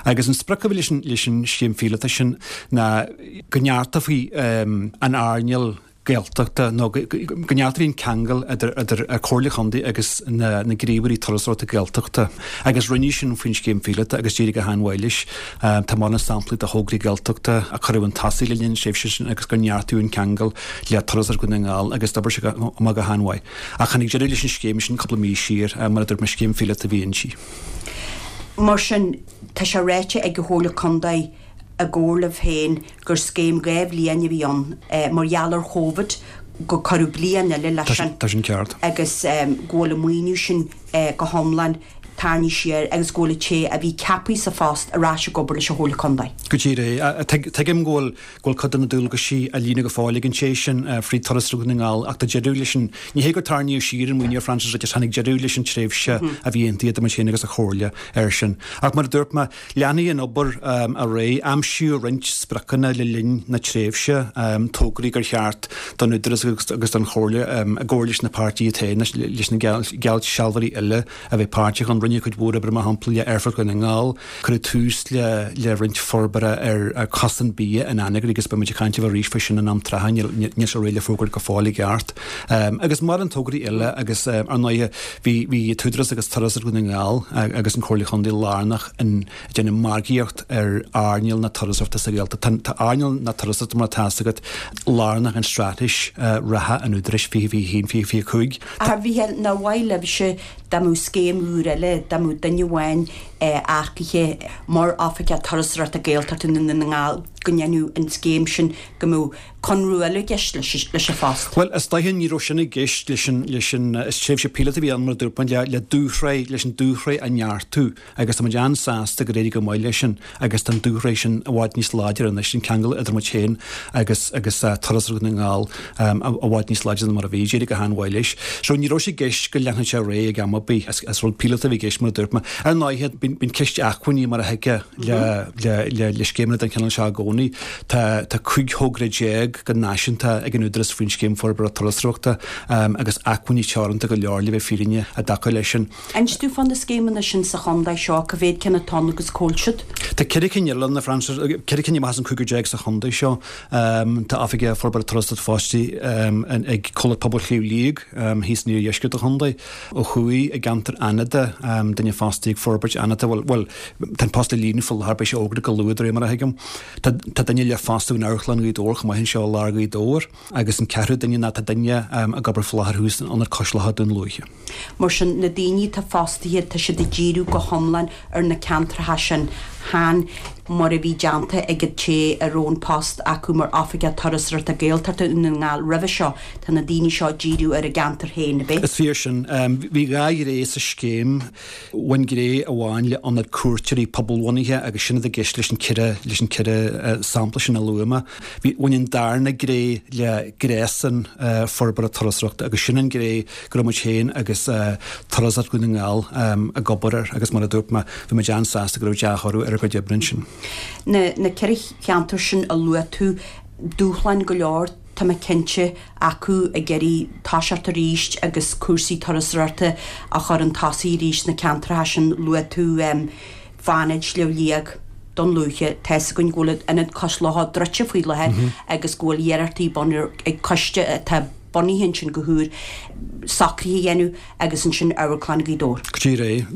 Agus an sprioc a bhí leis an leis an scéim phíolóta sin ná go neartófaí an earnáil Gaeltachta nó go neartófaí an ceangal idir idir an Chomhairle Chontae agus na na gníomhairí turasóireachta Gaeltachta. Agus rinneadh sin faoin scéim phíolóta agus d'éirigh go han-mhaith leis. Tá mórán samplaí de thograí Gaeltachta a cuireadh chun tosaigh le linn na tréimhse sin agus gur neartaíodh an ceangal le Turasóireacht Dhún na nGall agus d'oibrigh sé amach go han-mhaith. Ach tháinig deireadh leis an scéim sin cúpla mí siar, mar a dúirt mé, scéim phíolóta a bhí inti. Mar sin, tá sé ráite ag an Chomhairle Contae i gcomhar libh féin gur scéim dhá bhliain a bhí ann mar gheall ar Chóvid, go cuireadh bliain eile leis sin. Tá sin ceart. Agus go bhfuil an maoiniú sin go hiomlán tarraingthe siar agus go bhfuil an té a bhí ceaptha sa phost ar ais ag obair leis an Chomhairle Contae. Go díreach é. Tuigim go bhfuil go bhfuil cuid de na dualgaisí á líonadh go fóill ag an té sin fríd Turasóireacht Dhún na nGall ach tá deireadh leis an, ní hé gur tarraingíodh siar an maoiniú a Francis, just tháinig deireadh leis an tréimhse a bhí aontaithe idir muid féin agus an Chomhairle air sin. Ach mar a dúirt mé, Leanfaidh an obair ar aghaidh. Aimsíodh roinnt spriocanna le linn na tréimhse, tograí gur cheart don Údarás agus don Chomhairle, i gcomhar leis na páirtithe iad féin, leis na geallsealbhóirí eile a bheith páirteach ann. Rinneadh cuid mhór oibre, mar shampla, le Aerfort Dhún na nGall. Cuireadh tús le roinnt forbartha ar Chosán Bia in Anagaire agus beidh muid ag caint libh arís faoi sin in am trátha, níl sé réidh le fógairt go fóill i gceart. Agus mórán tograí eile agus, ar ndóighe, bhí an tÚdarás agus Turasóireacht Dhún na nGall agus an Chomhairle Chontae lárnach in déanamh margaíocht ar earnáil na turasóireachta sa Ghaeltacht. Tá earnáil na turasóireachta, mar atá fhios agat, lárnach in straitéis reatha an Údaráis fiche fiche a haon, fiche fiche a cúig. A Mhícheáil, nár mhaith libhse dá mbeadh scéim úr eile, dá mbeadh duine amháin earcaithe mar Oifigeach Turasóireachta Gaeltachta i nDún na nGall, go ndéanfadh an scéim sin, go mbeadh conradh eile i gceist leis an phost? Bhuel, is dóiche ní raibh sin i gceist leis an, leis an, is tréimhse píolóta a bhí ann mar a dúirt mé, le, le dúshraith, leis an dúshraith a neartú agus tá muid an-sásta gur éirigh go maith leis sin agus tá an dúshraith sin i bhfad níos láidre anois, an ceangal idir muid féin agus, agus Turasóireacht Dhún na nGall i bhfad níos láidre ná mar a bhí, d'éirigh go han-mhaith leis. So ní raibh sé i gceist go leanfadh sé ar aghaidh ag am ar bith, is, is rud píolóta a bhí i gceist mar a dúirt mé. Ar ndóighe, bíonn, bíonn ceist acmhainní mar a thuigfeá le, le, le, le scéimeanna den chineál seo i gcónaí. Tá, tá cúig thogra déag déag go náisiúnta ag an Údarás faoin Scéim Forbartha Turasóireachta agus acmhainní teoranta go leor le bheith fírinne i dtaca leis sin. Inis dúinn fá na scéimeanna sin sa chontae seo, cá mhéad ceann atá ann agus cá bhfuil siad? Tá ceithre cinn eile ann, a Frances, ceithre cinn amach as an cúigear déag sa chontae seo. Tá Oifigeach Forbartha Turasóireachta fostaithe ag Comhlacht Pobail Shliabh Liag thíos in iardheisceart an chontae. Ó thuaidh i gceantar Fhánada, duine fostaithe ag Forbairt Fhánada, bhuel, bhuel, tá an post le líonadh faoi láthair, beidh sé fógartha go luath de réir mar a thuigim. Tá, tá duine le fostú in Amharclann Ghaoth Dobhair chomh maith anseo i lár Ghaoth Dobhair agus an ceathrú duine ná tá duine ag obair faoi láthair thuas in Ionad Cois Locha Dún Lúiche. Mar sin, na daoine atá fostaithe, tá siad ag díriú go hiomlán ar na ceantracha sin, chan mar a bhí déanta ag an té a raibh an post acu mar Oifigeach Turasóireachta Gaeltachta Dhún na nGall roimhe seo, tá na daoine seo ag díriú ar a gceantar féin, ab é? Is fíor sin. Bhí dhá ghné sa scéim. Bhain gné amháin le ionad cuairteoirí pobalbhunaithe agus sin atá i gceist leis an ceithre leis an ceithre sampla sin a luaigh mé. Bhí bhain an darna gné le gréasán forbartha turasóireachta agus sin an ghné go raibh muid féin agus Turasóireacht Dhún na nGall ag obair air agus mar a dúirt mé, bhí muid an-sásta go raibh dea-thoradh ar ár gcuid oibre ansin. Na na ceithre cheantar sin a luaigh tú, dúshláin go leor, tá mé cinnte, acu ag iarraidh toiseacht arís agus cúrsaí turasóireachta a chur chun tosaigh arís sna ceantracha sin. Luaigh tú Fánaid, Sliabh Liag, Dún Lúiche, tá 'fhios againn go bhfuil Ionad Cois Locha druidte faoi láthair agus go bhfuil iarrachtaí bun ag coiste atá bunaithe ansin go húr socruithe a dhéanamh agus ansin Amharclann Ghaoth Dobhair. Go díreach.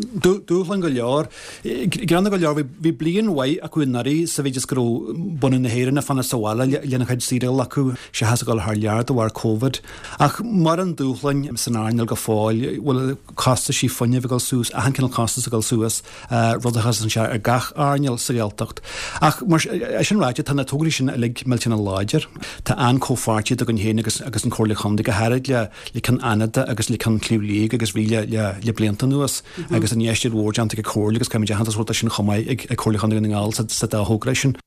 Dúshlán go leor. Greannmhar go leor, bhí bliain mhaith acu anuraidh sa mhéid is go raibh bunadh na hÉireann ag fanacht sa bhaile lena chuid saoire a ghlacadh seachas a dhul thar lear de bharr Covid. Ach maireann dúshláin san earnáil go fóill, bhfuil costaisí fuinnimh ag dul suas, achan cineál costas ag dul suas, rud a chosann sé ar gach earnáil sa Ghaeltacht. Ach mar sin ráite, tá na tograí sin uilig millteanach láidir. Tá an-chomhpháirtíocht againn féin agus agus an Chomhairle Chontae, go háirid le le ceann Fhánada agus le ceann Shliabh Liag agus bhí le le le blianta anuas agus infheistíocht mhór déanta ag an Chomhairle agus caithfimid aitheantas a thabhairt dó sin chomh maith ag ag Comhairle Chontae Dhún na nGall sa sa dá thogra sin.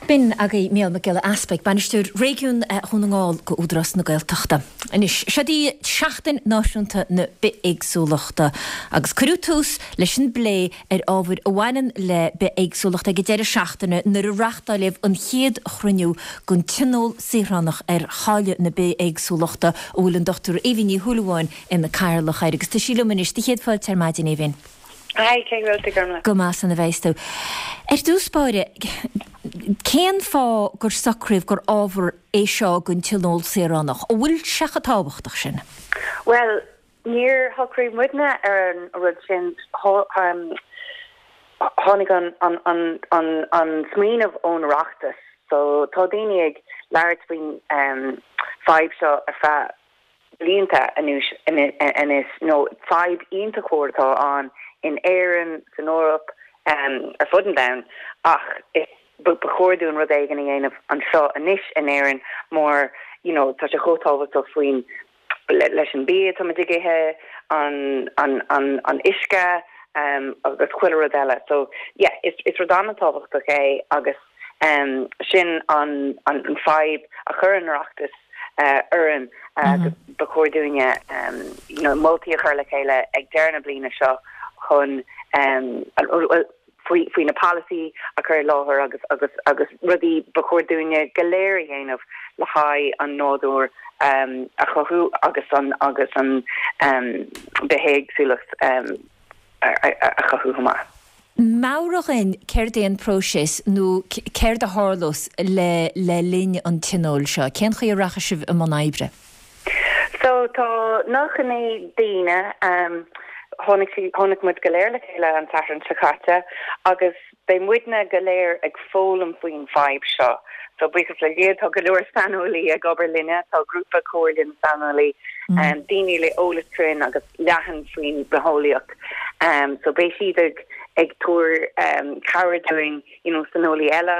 B'in agaibh Mícheál Mac Giolla Easpaig, Bainisteoir Réigiún Dhún na nGall go Údarás na Gaeltachta. Anois, seod í Seachtain Náisiúnta na Bithéagsúlachta agus cuireadh tús leis an bplé ar ábhair a bhaineann le bithéagsúlacht ag an deireadh seachtaine nuair a reáchtáileadh an chéad chruinniú den Tionól Saoránach ar Chailleadh na Bithéagsúlachta a bhfuil an Dochtúir Aoibhinn Ní Shúilleabháin ina cathaoirleach air agus tá sí liom anois. Do chéad fáilte ar maidin, Aoibhinn. Hi, cén chaoi a bhfuil tú, Gormlaith? Go maith san a bheas tú. Ar dtús báire, cén fáth gur socraíodh gur ábhar é seo don Tionól Saoránach? An bhfuil sé chomh tábhachtach sin? Bhuel, níor shocraigh muidne ar an rud sin. Tháinig an an an an an smaoineamh ón Oireachtas. So tá daoine ag labhairt faoin fadhb seo ar feadh blianta anuas anois nó fadhb iontach mhór atá ann in Éirinn, san Eoraip, ar fud an domhain ach is ba chóir dúinn rud éigin a dhéanamh anseo anois in Éirinn mar you know tá sé chomh tábhachtach faoin leis an bia atáimid ag ithe, an an an an uisce agus chuile rud eile. So yeah is is rud an-tábhachtach é agus sin an an fadhb a chuir an Oireachtas orainn agus ba chóir dúinne you know moltaí a chur le chéile ag deireadh na bliana seo chun faoi faoi na polasaí a chur i láthair agus agus agus rudaí ba chóir dúinne go léir a dhéanamh le haghaidh an nádúr a chothú agus an agus an bithéagsúlacht a chothú chomh maith. Meabhraigh dhúinn céard é an próiseas nó céard a tharlós le le linn an tionóil seo? Cén chaoi a rachaidh sibh i mbun oibre? So tá nócha naoi daoine, tháinig sí, tháinig muid go léir le chéile an Satharn seo caite agus beidh muidne go léir ag foghlaim faoin bhfadhb seo. So buíochas le Dia tá go leor saineolaí ag obair linne, tá grúpa comhairle na saineolaí, daoine le eolas cruinn agus leathan faoin bitheolaíocht. So beidh siad ag ag tabhair cabhair dúinn you know saineolaí eile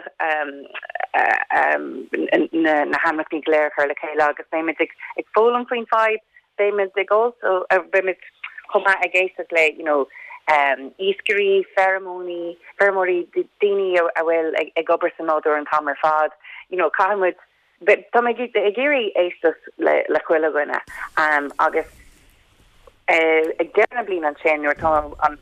na na hainmneacha go léir a chur le chéile agus beimid ag ag foghlaim faoin fadhb, beimid ag also beimid chomh maith ag éisteacht le you know iascairí, feirmeoirí, feirmeoirí, daoine a bhfuil ag obair sa nádúr an t-am ar fad, you know caithfidh muid tá mé ag iarraidh éisteacht le le chuile dhuine agus ag deireadh na bliana ansin nuair atá an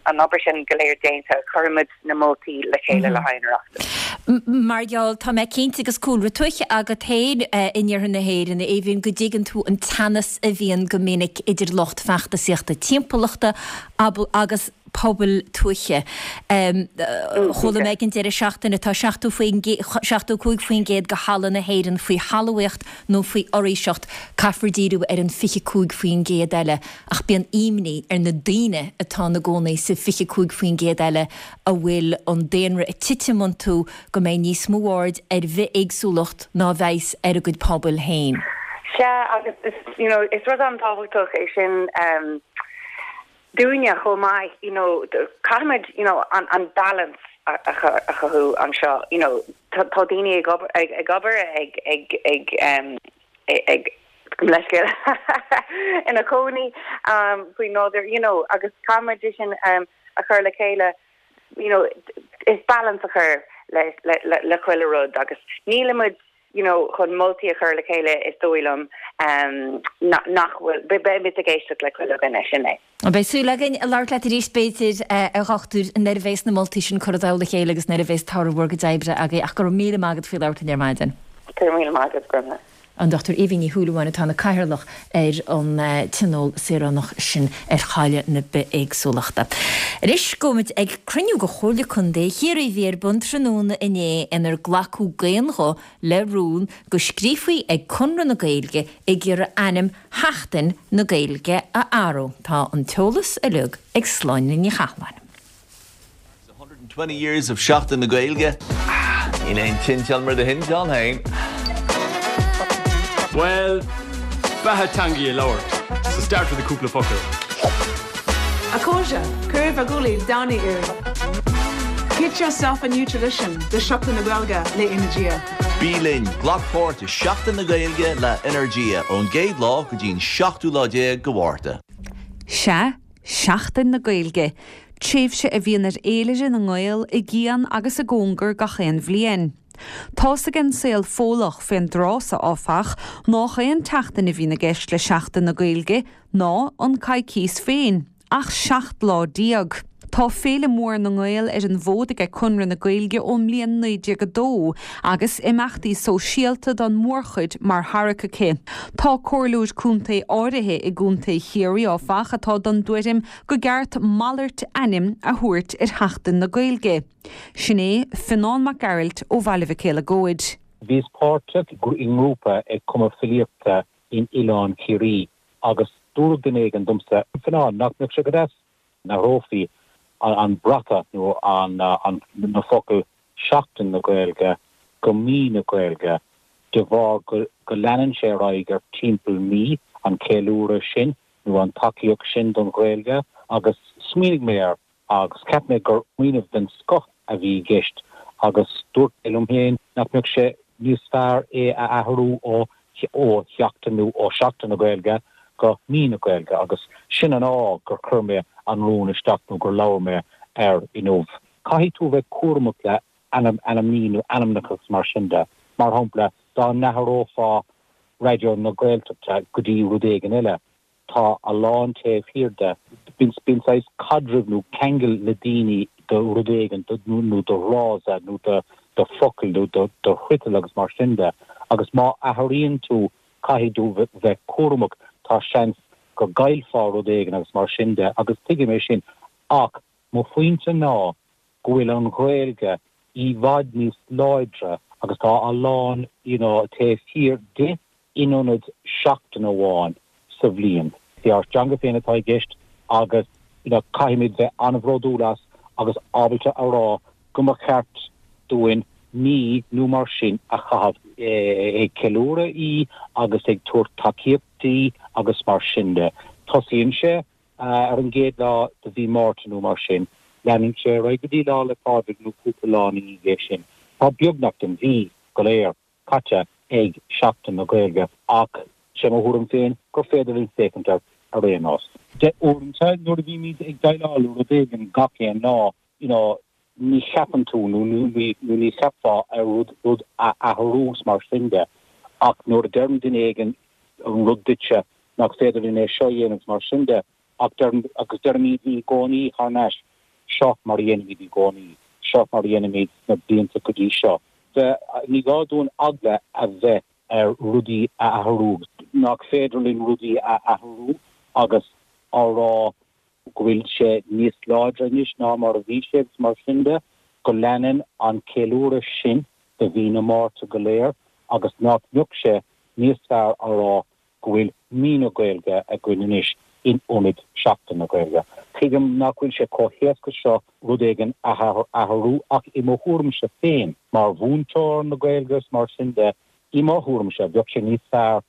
an obair sin go léir déanta cuirfimid na moltaí le chéile le haghaidh an Oireachtais. Mar gheall tá mé cinnte agus cúlra tuaithe agat féin in iarthar na hÉireann, Aoibhinn, go dtuigeann tú an teannas a bhíonn go minic idir lucht feachtasaíochta timpeallachta agus pobail tuaithe. Chuala mé ag an deireadh seachtaine tá seachtó seachtó cúig faoin gcéad de thalamh na hÉireann faoi thalmhaíocht nó faoi fhoraoiseacht, caithfear díriú ar an fiche cúig faoin gcéad eile ach bíonn imní ar na daoine atá ina gcónaí sa fiche cúig faoin gcéad eile a bhfuil an daonra ag titim iontu go mbeidh níos mó aird ar bhithéagsúlacht ná a bheas ar a gcuid pobail féin. Sea, agus is, you know, is rud an-tábhachtach é sin um, dúinne chomh maith, you know, caithfimid, you know, an, an balance a, a, a chothú anseo, you know, tá daoine ag obair ag, ag obair ag ag ag um, ag leiscéal ina cónaí um, faoi nádúr, you know, agus caithfimid sin um, a chur le chéile, you know, is balance a chur le le le, le chuile rud agus nílimid you know chun moltaí a chur le chéile is dóigh liom um, nach bhfuil beimid ag éisteacht le chuile dhuine sin é. Beidh súil againn a labhairt leat arís b'fhéidir a dhochtúir nuair a bheas na moltaí sin curtha le chéile agus nuair a bheas toradh bhur gcuid oibre agaibh ach go raibh míle maith agat faoi labhairt linn ar maidin. Go raibh míle maith agat Gormfhlaith. An Dochtúir Aoibhinn Ní Shúilleabháin atá ina cathaoirleach ar an tionól saoránach sin ar chailleadh na bithéagsúlachta. Anois gabhfaimid ag cruinniú de Chomhairle Contae Chiarraí a bhí ar bun tráthnóna inné inar glacadh d'aon ghuth le rún go scríofaí ag Conradh na Gaeilge ag iarraidh ainm Sheachtain na Gaeilge a athrú. Tá an t-eolas uilig ag Sláine Ní Chathalláin. twenty years of Seachtain na Gaeilge. Níl aon tinteán mar do thinteán féin. Well, beatha teanga a labhairt, so start with a cúpla focal. A chairde, cuir bhur gguaillí air. Get yourself a new tradition, de Seachtain na Gaeilge le Energia. Bí linn glac páirt i Seachtain na Gaeilge le Energia ón gcéad lá go dtí'n seachtú lá déag de Mhárta. Sea, Seachtain na Gaeilge, tréimhse a bhíonn ar fhéilire na nGael i gcian agus i gcóngar gach aon bhliain. Tá's ag an saol Fódhlach fén dtráth so áfach nach aon tseachtain a bhíonn i gceist le Seachtain na Gaeilge ná an coicís féin, ach seacht lá déag. Tá féile mór na nGael ar an bhfód ag Conradh na Gaeilge ón mbliain naoi déag a dó, agus imeachtaí sóisialta don mhórchuid mar tharrac aici. Tá comhairleoir contae áirithe i gContae Chiarraí áfach atá den tuairim go gceart malairt ainm a thabhairt ar Sheachtain na Gaeilge. Sin é Fionnán Mac Gearailt ó Bhaile Mhic Éil Bhíos páirteach i ngrúpa ag cumadh filíochta in Oileán Ciarraí agus dúirt duine éigin domsa Fionnán nach mbeadh sé go deas dá n-athrófaí an bratach nó an na focail Seachtain na Gaeilge go mí na Gaeilge de bharr go go leanann sé ar aghaidh ar timpeall mí an ceiliúradh sin nó an tacaíocht sin don Ghaeilge agus smaoinigh mé air agus cheap mé gur smaoineamh den scoth a bhí i gceist agus dúirt mé liom féin nach mbeadh sé níos fearr é a athrú ó ó sheachtain nó ó Seachtain na Gaeilge go mí na Gaeilge agus sin an fáth gur chuir mé an rún isteach nó gur labhair mé air inniu. Caithfidh tú bheith cúramach le ainm ainmní nó ainmneacha mar sin de. Mar shampla dá n-athrófá Raidió na Gaeltachta go dtí rud éigin eile. Tá a lán taobh thiar de. Bíonn bíonn saghas caidreamh nó ceangal le daoine do rud éigin nó do fhrása nó do do focal nó do do fhriotal agus mar sin de. Agus má athraíonn tú caithfidh tú bheith cúramach tá seans go gcaillfeá rud éigin agus mar sin de agus tuigim é sin ach mo phointe ná go bhfuil an Ghaeilge i bhfad níos láidre agus tá a lán you know, taobh thiar di in ionad seachtain amháin sa bhliain. Is ár dteanga féin atá i gceist agus you know, caithfimid bheith an-bhródúil as agus ábalta a rá go mba cheart dúinn mí nó mar sin a chaitheamh ag ceiliúradh í agus ag tabhairt tacaíocht di agus mar sin de. Tosaíonn sé ar an gcéad lá de mhí Márta nó mar sin, leanann sé ar aghaidh go dtí Lá 'le Pádraig nó cúpla lá ina dhiaidh sin. Tá beagnach an mhí go léir caite ag Seachtain na Gaeilge ach sé mo thuairim féin gur féidir linn féachaint air ar aon nós. De uaireanta nuair a bhímid ag déileáil le rud éigin gach aon lá, you know, ní cheapann tú nó nó ní cheapfá ar rud rud a athrú mar sin de ach nuair a deireann duine éigin an rud duitse nach féidir linn é seo a dhéanamh mar sin de ach agus deirimid i gcónaí thar n-ais seo mar a dhéanaimid i gcónaí. Seo mar a dhéanaimid sna blianta go dtí seo. Ní gá dúinn eagla a bheith ar rudaí a athrú, nach féidir linn rudaí a athrú agus á rá go bhfuil sé níos láidre anois ná mar a bhí sé agus mar sin de, go leanann an ceiliúradh sin do mhí na Márta go léir agus nach mbeadh sé níos fearr a rá go bhfuil Mí na Gaeilge againn anois in ionad Seachtain na Gaeilge. Tuigim nach bhfuil sé chomh héasca seo rud éigin a athrú ach i mo thuairimse féin, mar mhúinteoir na Gaeilge is mar sin de, i mo thuairimse, bheadh sé níos fearr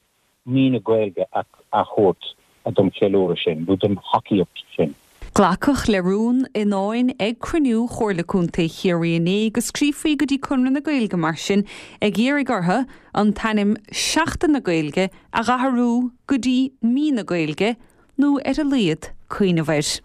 Mí na Gaeilge a thabhairt don cheiliúradh sin nó don thacaíocht sin. Glacadh le rún i ndáin ag cruinniú Chomhairle Contae Chiarraí inné go scríofaí go dtí Conradh na Gaeilge mar sin ag iarraidh orthu an t-ainm Seachtain na Gaeilge a dh'athrú go dtí Mí na Gaeilge nó ar a laghad cuimhneamh air.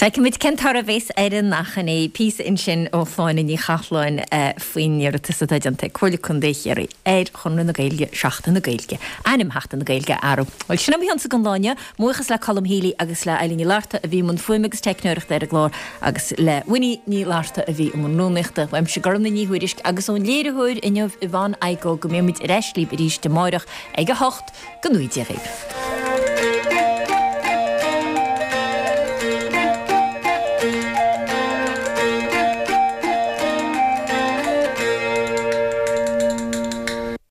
Feicfimid cén toradh a bheas ar an achainí. Píosa ansin ó Shláine Ní Chathláin faoin iarratas atá déanta ag Comhairle Contae Chiarraí ar Chonradh na Gaeilge Seachtain na Gaeilge, ainm Sheachtain na Gaeilge a athrú. Bhuel, sin é mo chionsa don lá inniu. Buíochas le Colm Healy agus le Eileen Ní Fhlatharta a bhí i mbun fuaime agus teicneoireachta ar an gclár agus le Winnie Ní Fhlatharta a bhí i mbun rúnaíochta. Uaimse Gormlaith Ní Thuairisg agus ón léiritheoir inniu Yvonne Igoe go mbeimid ar ais libh arís amárach ag a hocht. Go ngnóthaí Dia dhaoibh.